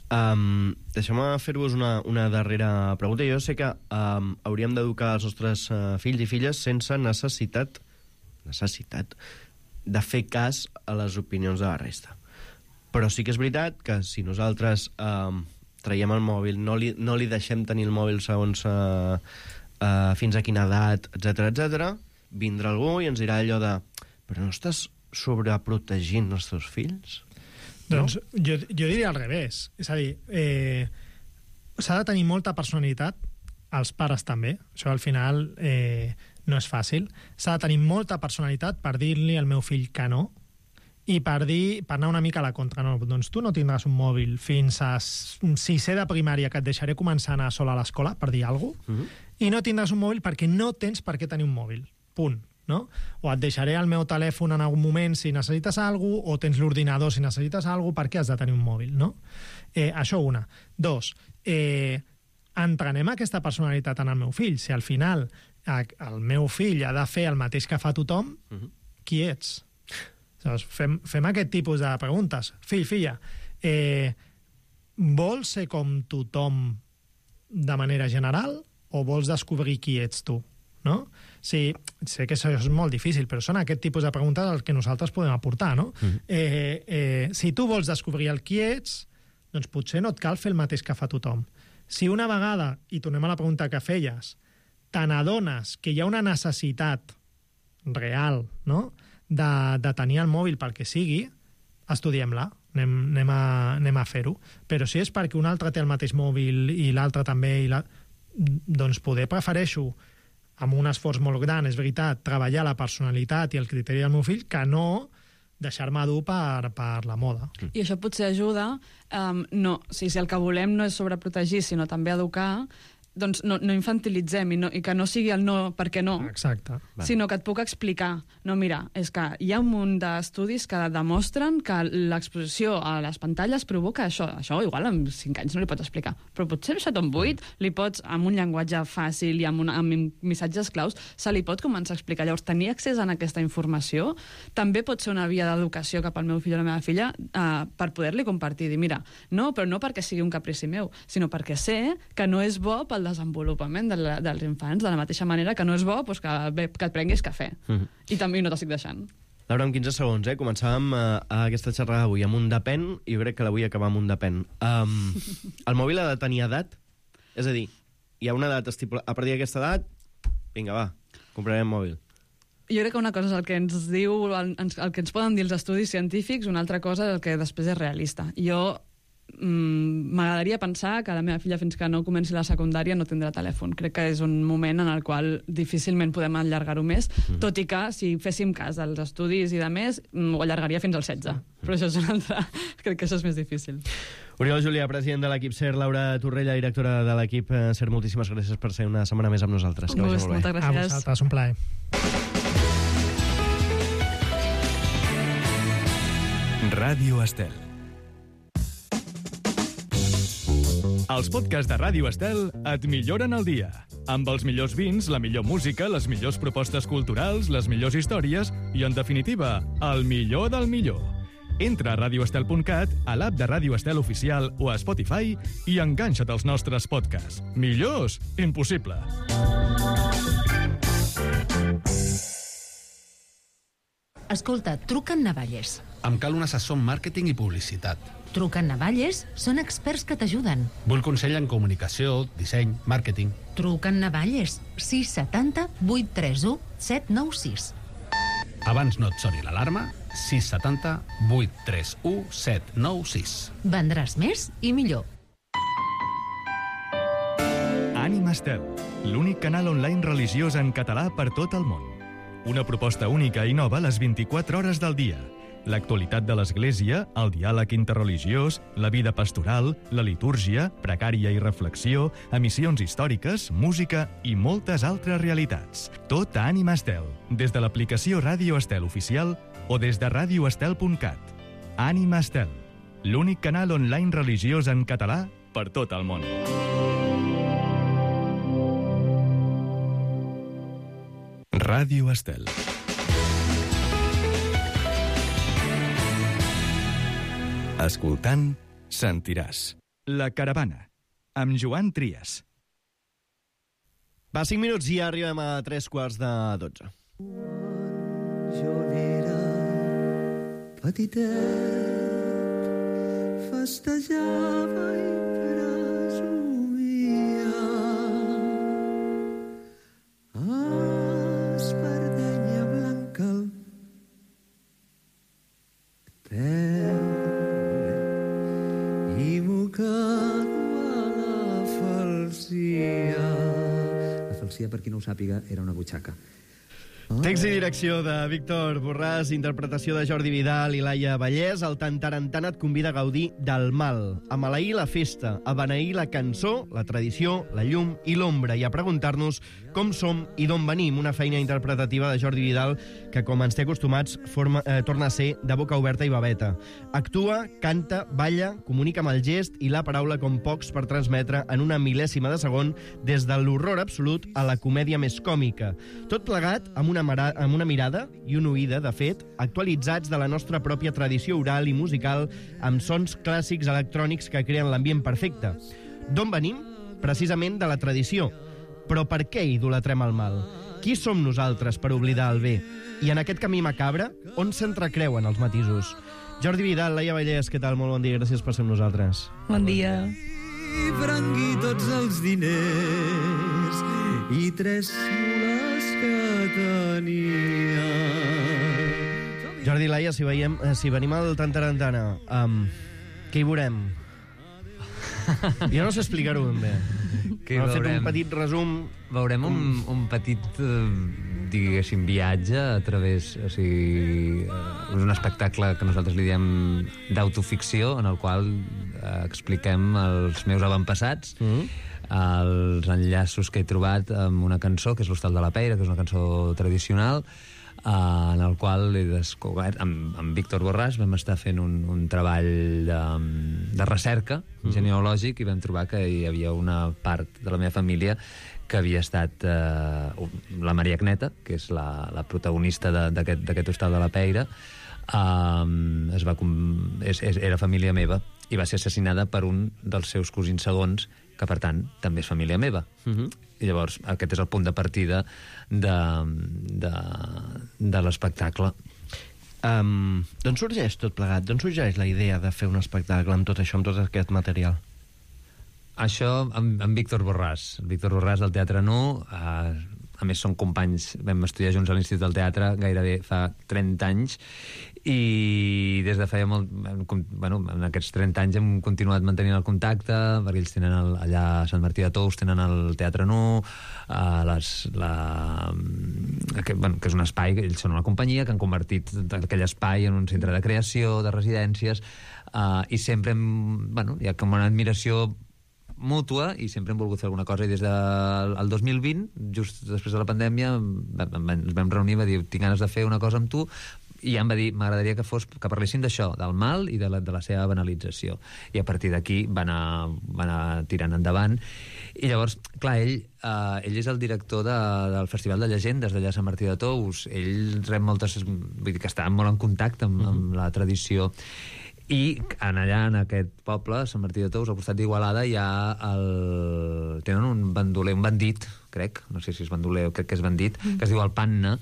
Deixeu-me fer-vos una darrera pregunta. Jo sé que hauríem d'educar els nostres fills i filles sense necessitat de fer cas a les opinions de la resta. Però sí que és veritat que si nosaltres traiem el mòbil, no li deixem tenir el mòbil segons fins a quina edat, etc, vindrà algú i ens dirà allò de però no estàs sobreprotegint els teus fills? Doncs jo diria al revés. És a dir, s'ha de tenir molta personalitat, els pares també, això al final no és fàcil. S'ha de tenir molta personalitat per dir-li al meu fill que no, i per anar una mica a la contra. No, doncs tu no tindràs un mòbil fins a 6è de primària, que et deixaré començar a anar sola a l'escola, per dir alguna cosa, i no tindràs un mòbil perquè no tens per què tenir un mòbil. Punt. No? O et deixaré el meu telèfon en algun moment si necessites alguna cosa, o tens l'ordinador si necessites alguna cosa, per què has de tenir un mòbil, no? Això una. 2, entrenem aquesta personalitat en el meu fill. Si al final el meu fill ha de fer el mateix que fa tothom, qui ets? Fem aquest tipus de preguntes. Fill, filla, vols ser com tothom de manera general o vols descobrir qui ets tu? No? Sí, sé que això és molt difícil, però són aquest tipus de preguntes el que nosaltres podem aportar, no? Si tu vols descobrir el qui ets, doncs potser no et cal fer el mateix que fa tothom. Si una vegada, i tornem a la pregunta que feies, te n'adones que hi ha una necessitat real, no?, de tenir el mòbil pel que sigui, estudiem-la, anem a fer-ho. Però si és perquè un altre té el mateix mòbil i l'altre també, doncs poder prefereixo amb un esforç molt gran, és veritat, treballar la personalitat i el criteri del meu fill, que no deixar-me dur per la moda. I això potser ajuda, si el que volem no és sobreprotegir, sinó també educar, doncs no infantilitzem i que no sigui el no perquè no, exacte, sinó que et puc explicar. No, mira, és que hi ha un munt d'estudis que demostren que l'exposició a les pantalles provoca això. Això igual amb 5 anys no li pots explicar, però potser amb 8 li pots, amb un llenguatge fàcil i amb missatges claus, se li pot començar a explicar. Llavors, tenir accés a aquesta informació també pot ser una via d'educació cap al meu fill o la meva filla per poder-li compartir. Dir, mira, no, però no perquè sigui un caprici meu, sinó perquè sé que no és bo pel desenvolupament dels infants, de la mateixa manera que no és bo que et prenguis cafè. I també no t'estic deixant. Laura, en 15 segons, començàvem aquesta xerrada avui amb un depèn, i jo crec que la vull acabar amb un depèn. El mòbil ha de tenir edat? És a dir, hi ha una edat estipulada, a partir d'aquesta edat, vinga, va, comprarem mòbil. Jo crec que una cosa és el que ens diu, el que ens poden dir els estudis científics, una altra cosa és el que després és realista. Jo m'agradaria pensar que la meva filla, fins que no comenci la secundària, no tindrà telèfon. Crec que és un moment en el qual difícilment podem allargar-ho més, tot i que, si féssim cas dels estudis i de més, ho allargaria fins al 16. Però això és un altre... Crec que això és més difícil. Oriol Julià, president de l'equip SER, Laura Torrella, directora de l'equip SER, moltíssimes gràcies per ser una setmana més amb nosaltres. Que vagi molt bé. Moltes gràcies. A vosaltres, un plaer. Ràdio Estel. Els podcasts de Ràdio Estel et milloren el dia. Amb els millors vins, la millor música, les millors propostes culturals, les millors històries i, en definitiva, el millor del millor. Entra a radioestel.cat, a l'app de Ràdio Estel Oficial o a Spotify i enganxa't als nostres podcasts. Millors? Impossible. Escolta, truca en Navalles. Em cal un assessor en màrqueting i publicitat. Truca a Navalles, són experts que t'ajuden. Vull consell en comunicació, disseny, màrqueting. Truca a Navalles, 670 831 796. Abans no et soni l'alarma, 670 831 796. Vendràs més i millor. Ànima Estel, l'únic canal online religiós en català per tot el món. Una proposta única i nova a les 24 hores del dia. L'actualitat de l'Església, el diàleg interreligiós, la vida pastoral, la litúrgia, precària i reflexió, emissions històriques, música i moltes altres realitats. Tot a Ànima Estel, des de l'aplicació Ràdio Estel oficial o des de radioestel.cat. Ànima Estel, l'únic canal online religiós en català per tot el món. Ràdio Estel. Escoltant, sentiràs. La Caravana, amb Joan Trias. Va, 5 minuts i ja arribem a 3:15. Jo n'era petitet, festejava i presumia. Espardenya blanca al peu i mocado a la falsia. La falsia, per qui no ho sàpiga, era una butxaca. Text i direcció de Víctor Borràs, interpretació de Jordi Vidal i Laia Vallès. El Tantarantana et convida a gaudir del mal, a maleir la festa, a beneir la cançó, la tradició, la llum i l'ombra, i a preguntar-nos com som i d'on venim. Una feina interpretativa de Jordi Vidal que, com ens té acostumats, torna a ser de boca oberta i babeta. Actua, canta, balla, comunica amb el gest i la paraula com pocs per transmetre en una mil·lèsima de segon des de l'horror absolut a la comèdia més còmica. Tot plegat amb una mirada i una oïda, de fet, actualitzats de la nostra pròpia tradició oral i musical amb sons clàssics electrònics que creen l'ambient perfecte. D'on venim? Precisament de la tradició. Però per què idolatrem el mal? Qui som nosaltres per oblidar el bé? I en aquest camí macabre, on s'entrecreuen els matisos? Jordi Vidal, Laia Vallès, què tal? Molt bon dia, gràcies per ser amb nosaltres. Bon dia. I prengui tots els diners i 3 mules que tenia. Jordi i Laia, si venim al Tantarantana, què hi veurem? Jo no sé explicar-ho ben bé. Hem fet un petit resum. Veurem un petit, diguéssim, viatge a través... O sigui, és un espectacle que nosaltres li diem d'autoficció, en el qual expliquem els meus avantpassats, els enllaços que he trobat amb una cançó, que és l'Hostal de la Peira, que és una cançó tradicional, en el qual he descobert, amb Víctor Borràs vam estar fent un treball de recerca genealògic, i vam trobar que hi havia una part de la meva família que havia estat la Maria Agneta, que és la protagonista d'aquest Hostal de la Peira. Era família meva i va ser assassinada per un dels seus cosins segons, que per tant també és família meva. I llavors aquest és el punt de partida de l'espectacle. D'on sorgeix tot plegat? D'on sorgeix la idea de fer un espectacle amb tot això, amb tot aquest material? Això amb Víctor Borràs. Víctor Borràs del Teatre Nu. A més, són companys, vam estudiar junts a l'Institut del Teatre gairebé fa 30 anys, i des de feia molt... Bueno, en aquests 30 anys hem continuat mantenint el contacte, perquè ells tenen allà a Sant Martí de Tous, tenen el Teatre Nu, que és un espai, ells són una companyia que han convertit aquell espai en un centre de creació, de residències, i sempre hi ha com una admiració mútua, i sempre hem volgut fer alguna cosa, i des del 2020, just després de la pandèmia, ens vam reunir i va dir, tinc ganes de fer una cosa amb tu, i ja em va dir, m'agradaria que parléssim d'això, del mal i de la seva banalització, i a partir d'aquí va anar tirant endavant. I llavors, clar, ell és el director del Festival de Llegendes d'allà a Sant Martí de Tous. Ell rep moltes... Vull dir que està molt en contacte amb la tradició. I allà, en aquest poble, Sant Martí de Tous, al costat d'Igualada, tenen un bandoler, un bandit, que crec, no sé si és bandoler o crec que és bandit, que es diu el Panna,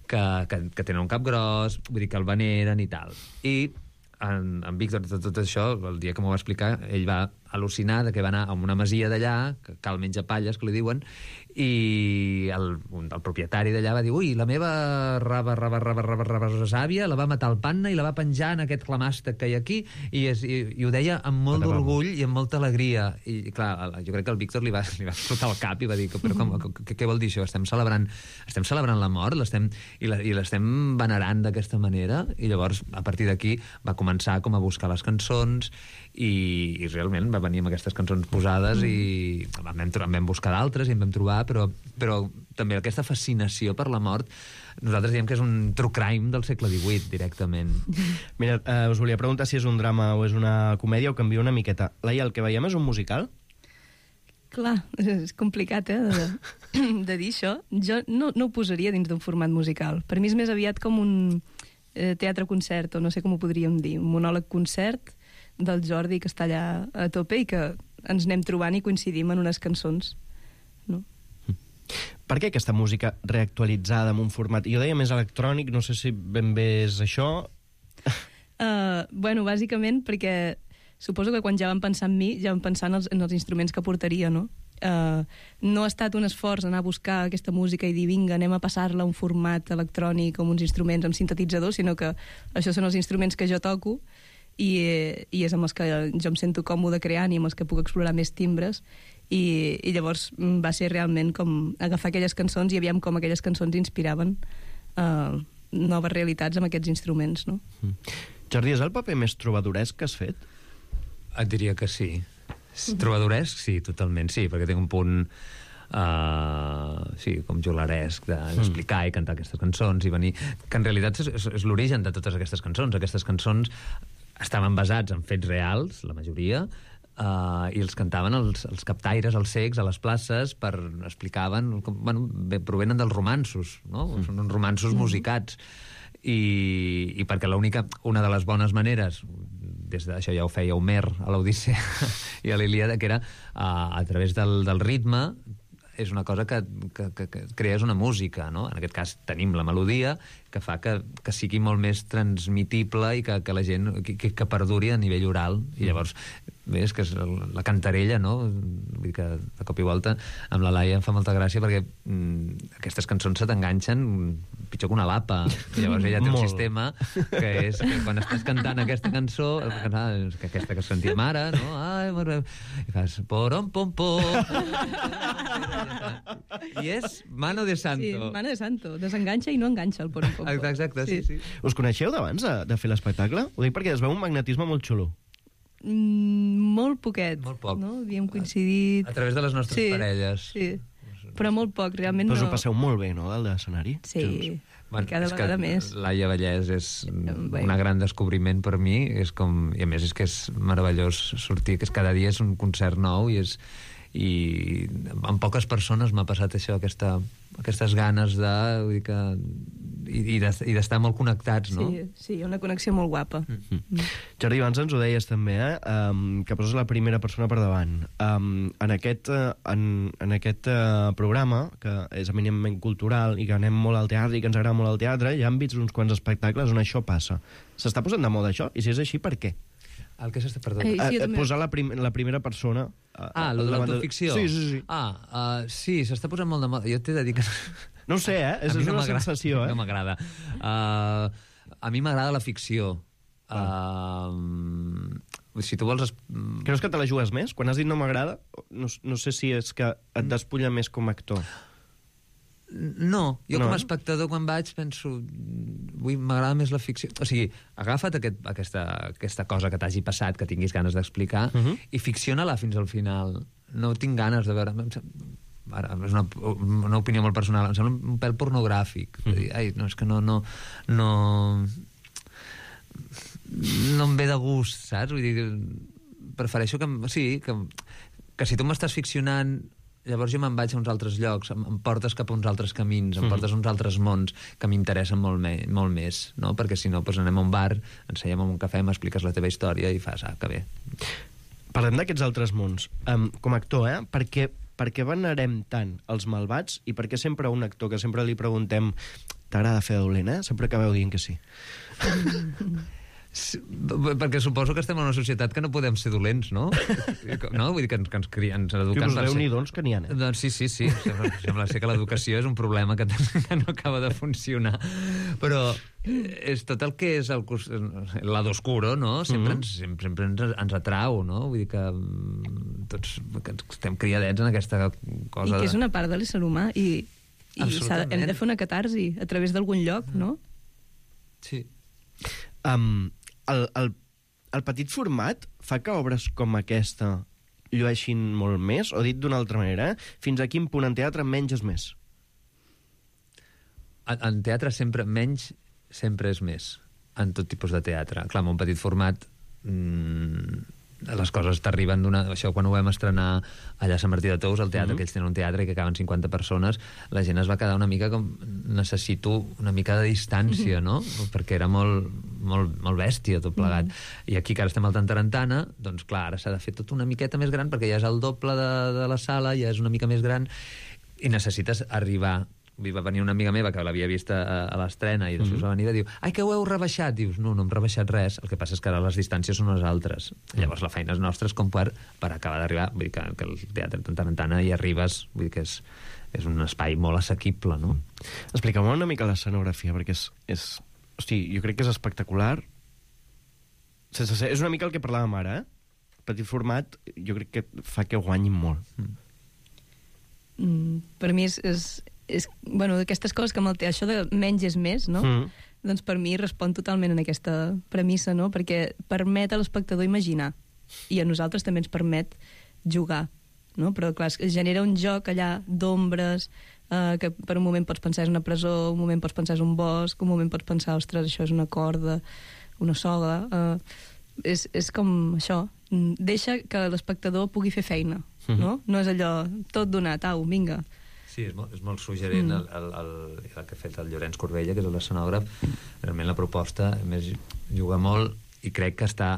que tenen un cap gros, vull dir que el veneren i tal. I en Víctor, tot això, el dia que m'ho va explicar, ell va al·lucinar que va anar a una masia d'allà, que cal menja palles, que li diuen, i el propietari d'allà va dir, ui, la meva sàvia la va matar el Panna i la va penjar en aquest clamàstec que hi ha aquí, i ho deia amb molt d'orgull i amb molta alegria. I clar, jo crec que el Víctor li va explotar el cap i va dir, però què vol dir això? Estem celebrant la mort i l'estem venerant d'aquesta manera? I llavors, a partir d'aquí, va començar com a buscar les cançons i realment va venir amb aquestes cançons posades i en vam buscar d'altres i en vam trobar, però també aquesta fascinació per la mort nosaltres diem que és un true crime del segle XVIII, directament. Mira, us volia preguntar si és un drama o és una comèdia o canvia una miqueta. Laia, el que veiem és un musical? Clar, és complicat, de dir això. Jo no ho posaria dins d'un format musical. Per mi és més aviat com un teatre-concert, o no sé com ho podríem dir, un monòleg-concert del Jordi, que està allà a tope i que ens anem trobant i coincidim en unes cançons. No? Per què aquesta música reactualitzada en un format? Jo deia més electrònic, no sé si ben bé és això. Bueno, bàsicament perquè suposo que quan ja vam pensar en mi, ja vam pensar en els instruments que portaria, no? No ha estat un esforç anar a buscar aquesta música i dir, vinga, anem a passar-la a un format electrònic amb uns instruments, amb sintetitzadors, sinó que això són els instruments que jo toco i és amb els que jo em sento còmode creant i amb els que puc explorar més timbres i llavors va ser realment com agafar aquelles cançons i aviam com aquelles cançons inspiraven noves realitats amb aquests instruments, no? Jordi, és el paper més trobadoresc que has fet? Et diria que sí. Trobadoresc, sí, totalment, sí, perquè tinc un punt sí, com jolaresc d'explicar i cantar aquestes cançons i venir, que en realitat és l'origen de totes aquestes cançons. Aquestes cançons estaven basats en fets reals, la majoria, i els cantaven els captaires, els cecs, a les places, explicaven, provenen dels romanços, no? Són uns romansos musicats. I perquè una de les bones maneres, des d'això ja ho feia Homer a l'Odissea i a l'Ilíada, que era a través del ritme, és una cosa que crees una música, no? En aquest cas tenim la melodia, que fa que sigui molt més transmitible i que la gent que perduri a nivell oral. I llavors, bé, és que és la cantarella, no? Vull dir que de cop i volta amb la Laia em fa molta gràcia perquè aquestes cançons se t'enganxen pitjor que una lapa. I llavors ella té un sistema que és que quan estàs cantant aquesta cançó, que aquesta que sentíem ara, no? I fas porom pom pom. I és mano de santo. Sí, mano de santo. Desenganxa i no enganxa el porom pom pom. Exacte, sí. Us coneixeu d'abans de fer l'espectacle? Ho dic perquè es veu un magnetisme molt xulo. Molt poquet. Molt poc. No? Havíem coincidit... A través de les nostres parelles. Sí, però molt poc, realment. Però us ho passeu molt bé, no, dalt de l'escenari? Sí, cada vegada més. Laia Vallès és un gran descobriment per mi, i a més és que és meravellós sortir, que cada dia és un concert nou i amb poques persones m'ha passat això, aquestes ganes i d'estar molt connectats, no? Sí, una connexió molt guapa. Jordi, abans ens ho deies també, que poses la primera persona per davant. En aquest programa, que és eminentment cultural i que anem molt al teatre i que ens agrada molt el teatre, ja hem vist uns quants espectacles on això passa. S'està posant de moda això? I si és així, per què? El que s'està perdent? Posar la primera persona... l'autoficció? Sí. Sí, s'està posant molt de moda. Jo t'he de dir que... No ho sé, és una sensació, No m'agrada. A mi m'agrada la ficció. Si tu vols... Creus que te la jugues més? Quan has dit no m'agrada, no sé si és que et despulla més com a actor. No, jo com a espectador quan vaig penso m'agrada més la ficció. O sigui, agafa't aquesta cosa que t'hagi passat, que tinguis ganes d'explicar, i ficciona-la fins al final. No tinc ganes de veure... Ara, és una opinió molt personal, em sembla un pèl pornogràfic. No, és que no em ve de gust, saps? Vull dir, prefereixo que si tu m'estàs ficcionant, llavors jo me'n vaig a uns altres llocs, em portes cap a uns altres camins, em portes a uns altres mons que m'interessen molt més, no? Perquè si no, anem a un bar, ens seiem a un cafè, m'expliques la teva història i fas, que bé. Parlem d'aquests altres mons. Com a actor, perquè per què venerem tant els malvats i per què sempre a un actor que sempre li preguntem t'agrada fer de dolent, sempre acabeu dient que sí? Perquè suposo que estem en una societat que no podem ser dolents, no? No? Vull dir que ens eduquen... Que us déu-n'hi doncs que n'hi ha, Doncs sí. Sembla ser que l'educació és un problema que no acaba de funcionar. Però és tot el que és el lado oscuro, no? Sempre ens atrau, no? Vull dir que tots estem criadets en aquesta cosa... I que és una part de l'ésser humà i hem de fer una catarsi a través d'algun lloc, no? Sí. El petit format fa que obres com aquesta llueixin molt més? O dit d'una altra manera, fins a quin punt en teatre menys és més? En teatre menys sempre és més. En tot tipus de teatre. Clar, en un petit format les coses t'arriben d'una... Això, quan ho vam estrenar allà a Sant Martí de Tous, al teatre, que ells tenen un teatre i que acaben 50 persones, la gent es va quedar una mica com... Necessito una mica de distància, no? Perquè era molt bèstia tot plegat. I aquí, que ara estem al Tantarantana, doncs clar, ara s'ha de fer tot una miqueta més gran, perquè ja és el doble de la sala, ja és una mica més gran, i necessites arribar... Va venir una amiga meva que l'havia vist a l'estrena i després va venir i va dir, ai, que ho heu rebaixat. Dius, no hem rebaixat res. El que passa és que ara les distàncies són les altres. Llavors la feina és nostra com per acabar d'arribar. Vull dir que el teatre Tantarantana hi arribes, vull dir que és un espai molt assequible, no? Explica-me una mica l'escenografia, perquè hosti, jo crec que és espectacular. És una mica el que parlàvem ara, Petit format, jo crec que fa que guanyin molt. Per mi bueno, d'aquestes coses que això de menys és més, no? Doncs per mi respon totalment en aquesta premissa, no? Perquè permet a l'espectador imaginar i a nosaltres també ens permet jugar, no? Però clar, es genera un joc allà d'ombres que per un moment pots pensar és una presó, un moment pots pensar és un bosc, un moment pots pensar, ostres, això és una corda, una soga... És com això, deixa que l'espectador pugui fer feina, no? No és allò tot donat, au, vinga. Sí, és molt suggerent el que ha fet el Llorenç Corbella, que és l'escenògraf. Realment la proposta, a més, juga molt i crec que està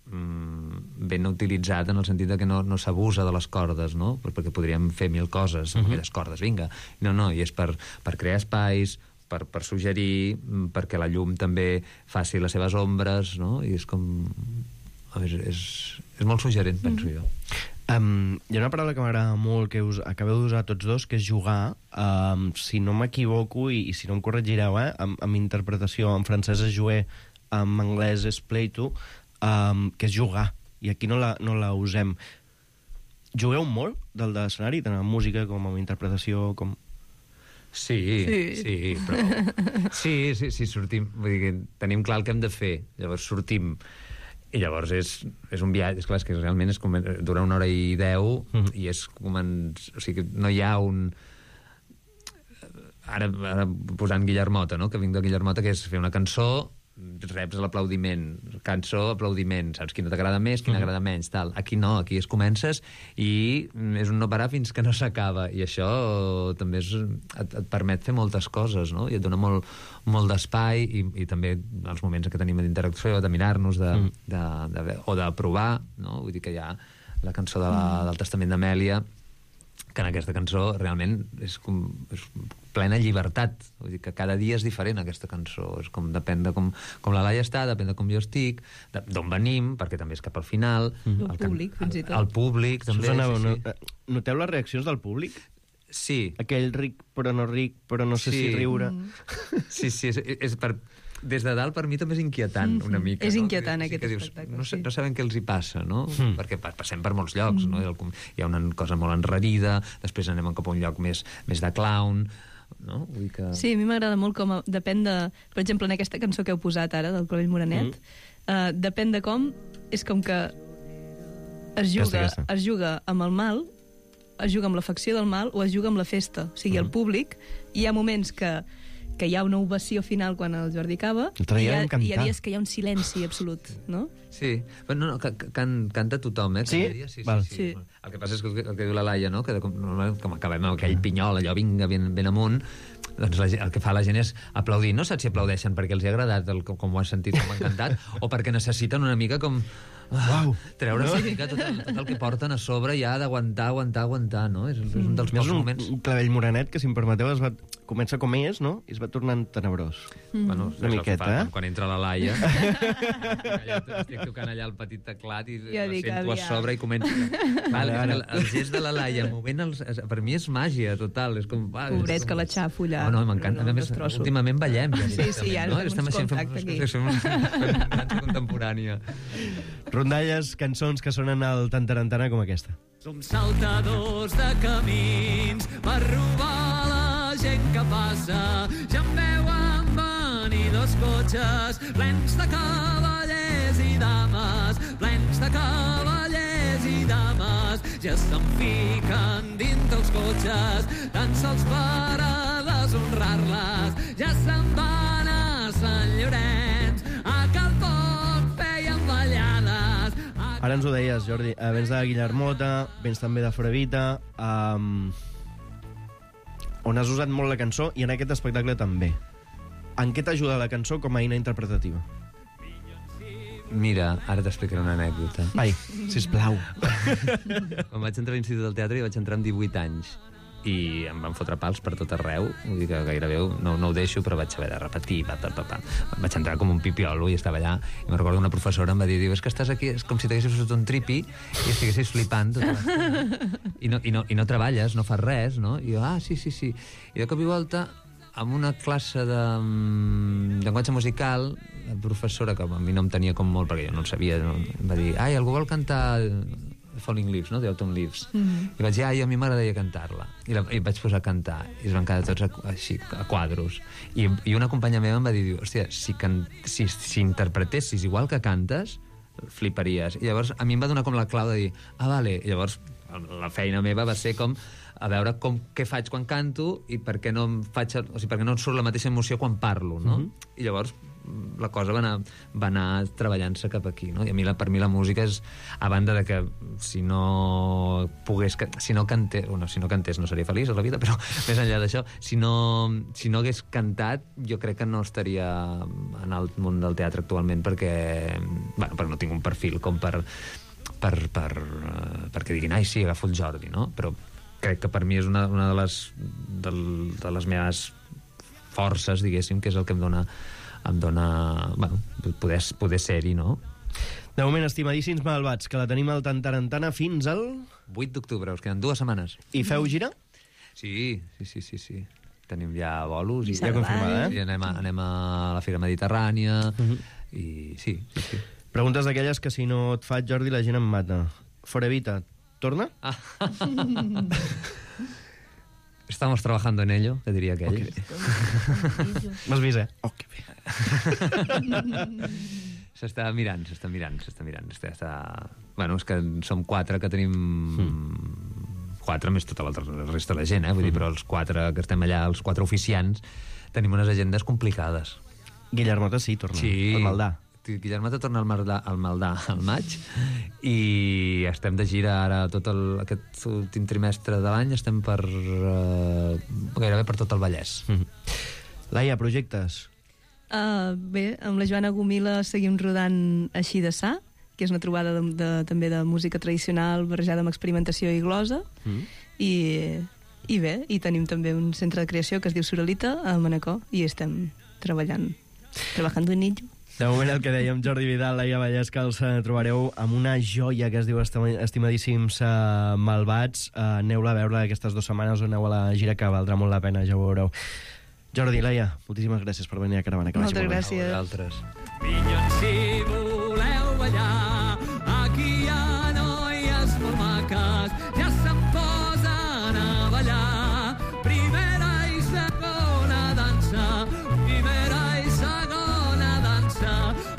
ben utilitzat en el sentit que no s'abusa de les cordes, no? Perquè podríem fer 1000 coses amb aquelles cordes, vinga. No, i és per crear espais, per suggerir, perquè la llum també faci les seves ombres, no? I és com... És molt suggerent, penso jo. Hi ha una paraula que m'agrada molt que acabeu d'usar tots dos, que és jugar. Si no m'equivoco, i si no em corregireu, amb interpretació en francès és jouer, en anglès és play to, que és jugar, i aquí no la usem. Jugueu molt del de l'escenari, tant en música com en interpretació, com... Sí, però... Sí, sortim... Vull dir que tenim clar el que hem de fer, llavors sortim... I llavors és un viatge, és clar, que realment dura 1 hora i 10 i és com... O sigui, no hi ha un... Ara posant Guillermota, no? Que vinc de Guillermota, que és fer una cançó, reps l'aplaudiment, cançó, aplaudiment, saps quina t'agrada més, quina agrada menys, tal. Aquí no, aquí es comences i és un no parar fins que no s'acaba, i això també et permet fer moltes coses, no? I et dona molt d'espai i també els moments que tenim d'interacció, de mirar-nos, o de provar, no? Vull dir que hi ha la cançó del Testament d'Amèlia, que en aquesta cançó realment és plena llibertat. Vull dir que cada dia és diferent, aquesta cançó. És com, depèn de com la Laia està, depèn de com jo estic, d'on venim, perquè també és cap al final. El públic, fins i tot. El públic, també. Susana, noteu les reaccions del públic? Sí. Aquell ric, però no sé si riure. Sí, és per... Des de dalt, per mi, també és inquietant, una mica. És inquietant, aquest espectacle. No sabem què els hi passa, no? Perquè passem per molts llocs, no? Hi ha una cosa molt enrarida, després anem cap a un lloc més de clown, no? Vull que... Sí, a mi m'agrada molt com... Depèn de... Per exemple, en aquesta cançó que heu posat ara, del Clavell Morenet, depèn de com, és com que es juga amb el mal, es juga amb l'afecció del mal o es juga amb la festa. O sigui, el públic, hi ha moments que hi ha una ovació final quan el Jordi acaba i hi ha dies que hi ha un silenci absolut, no? Sí, però no, canta tothom, Sí? Sí. El que passa és que el que diu la Laia, no? Que com acabem amb aquell pinyol, allò vinga ben amunt, doncs el que fa la gent és aplaudir. No saps si aplaudeixen perquè els ha agradat com ho has sentit, com ho han cantat, o perquè necessiten una mica com treure una mica tot el que porten a sobre i ha d'aguantar, no? És un dels pocs moments. Un clavell morenet que, si em permeteu, comença com és, no? I es va tornant tenebrós. Bueno, una miqueta, quan entra la Laia, estic tocant allà el petit teclat i la sento a sobre i comença... El gest de la Laia movent per mi és màgia total. Pobret, que la xafo allà. No, m'encanta. A més, últimament ballem. Sí, ja fem uns contactes aquí. Fem una dansa contemporània. Rondalles, cançons que sonen al Tantarantana com aquesta. Som saltadors de camins per robar la gent que passa. Ja em veuen venir dos cotxes plens de cavallers i dames, plens de cavallers i dames. Ja se'n fiquen dintre els cotxes, tan sols per a deshonrar-les. Ja se'n van a Sant Llorenç, a Calpot feien ballades. Ara ens ho deies, Jordi, vens de Guillermota, vens també de Forevita, on has usat molt la cançó, i en aquest espectacle també. En què t'ajuda la cançó com a eina interpretativa? Mira, ara t'explicaré una anècdota. Ai, sisplau. Quan vaig entrar a l'Institut del Teatre, vaig entrar amb 18 anys i em van fotre pals per tot arreu, vull dir que gairebé no ho deixo, però vaig haver de repetir, vaig entrar com un pipiolo i estava allà, i me'n recordo una professora em va dir, és que estàs aquí, és com si t'haguessis fotut un tripi i estiguessis flipant tota l'estona i no treballes, no fas res, no? I jo, sí. I de cop i volta, en una classe de llenguatge musical, la professora, que a mi no em tenia com molt, perquè jo no el sabia, em va dir, algú vol cantar Falling Leaves, no? The Autumn Leaves. I vaig dir, a mi m'agradaria cantar-la. I vaig posar a cantar. I es van quedar tots així, a quadros. I una companya meva em va dir, hòstia, si interpretessis igual que cantes, fliparies. I llavors a mi em va donar com la clau de dir, vale. I llavors la feina meva va ser com a veure què faig quan canto i per què no em surt la mateixa emoció quan parlo, no? I llavors la cosa va anar treballant-se cap aquí, no? I per mi la música és, a banda de que si no cantés no seria feliç a la vida, però més enllà d'això, si no hagués cantat, jo crec que no estaria en el món del teatre actualment, perquè no tinc un perfil com perquè diguin, sí, agafo el Jordi, no? Però crec que per mi és una de les meves forces, diguéssim, que és el que em dona poder ser-hi, no? De moment, estimadíssims malvats, que la tenim al Tantarantana fins al 8 d'octubre, us queden 2 setmanes. I feu gira? Sí. Tenim ja bolos i ja confirmada, i anem a la Fira Mediterrània i sí. Preguntes d'aquelles que si no et faig, Jordi, la gent em mata. Forevita, torna? Estamos trabajando en ello, que diria aquell. M'has vist, que bé. S'està mirant. Bueno, és que som 4 que tenim... 4 més tota la resta de la gent, vull dir, però els 4 que estem allà, els 4 oficiants, tenim unes agendes complicades. Guillermota sí, torna. Sí. Al Maldà. Guillermota torna al Maldà al maig i estem de gira ara aquest últim trimestre de l'any, estem gairebé per tot el Vallès. Laia, projectes? Bé, amb la Joana Gomila seguim rodant Així de Sa, que és una trobada també de música tradicional barrejada amb experimentació i glosa, i bé, i tenim també un centre de creació que es diu Suralita a Manacor, i estem trabajando en ello. De moment, el que dèiem, Jordi Vidal, Laia Vallès, que els trobareu amb una joia que es diu Estimadíssims Malvats. Aneu-la a veure aquestes 2 setmanes, aneu a la gira, que valdrà molt la pena, ja ho veureu. Jordi, Laia, moltíssimes gràcies per venir a Caravana. Moltes gràcies. A vosaltres. Minyons, si voleu ballar, aquí hi ha noies molt maques, ja se'n posen a ballar. Primera i segona dansa,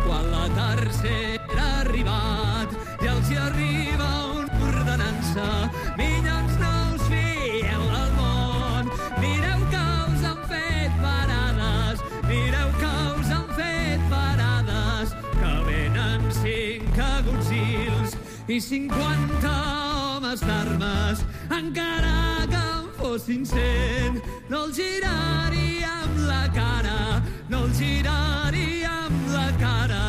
quan la tercera ha arribat i els hi arriba una ordenança. Minyons, no us fieu del món, mireu que us han fet parades, que venen 5 agutzils i 50 homes d'armes. Encara que en fossin 100, no els giraríem la cara, no els giraríem la cara.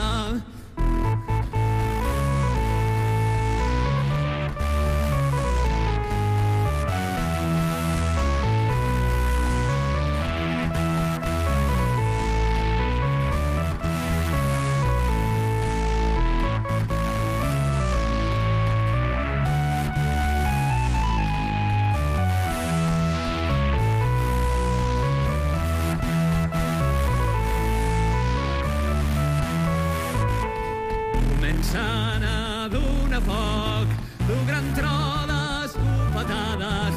gana d'una foc, d'un gran tro d'escopetades,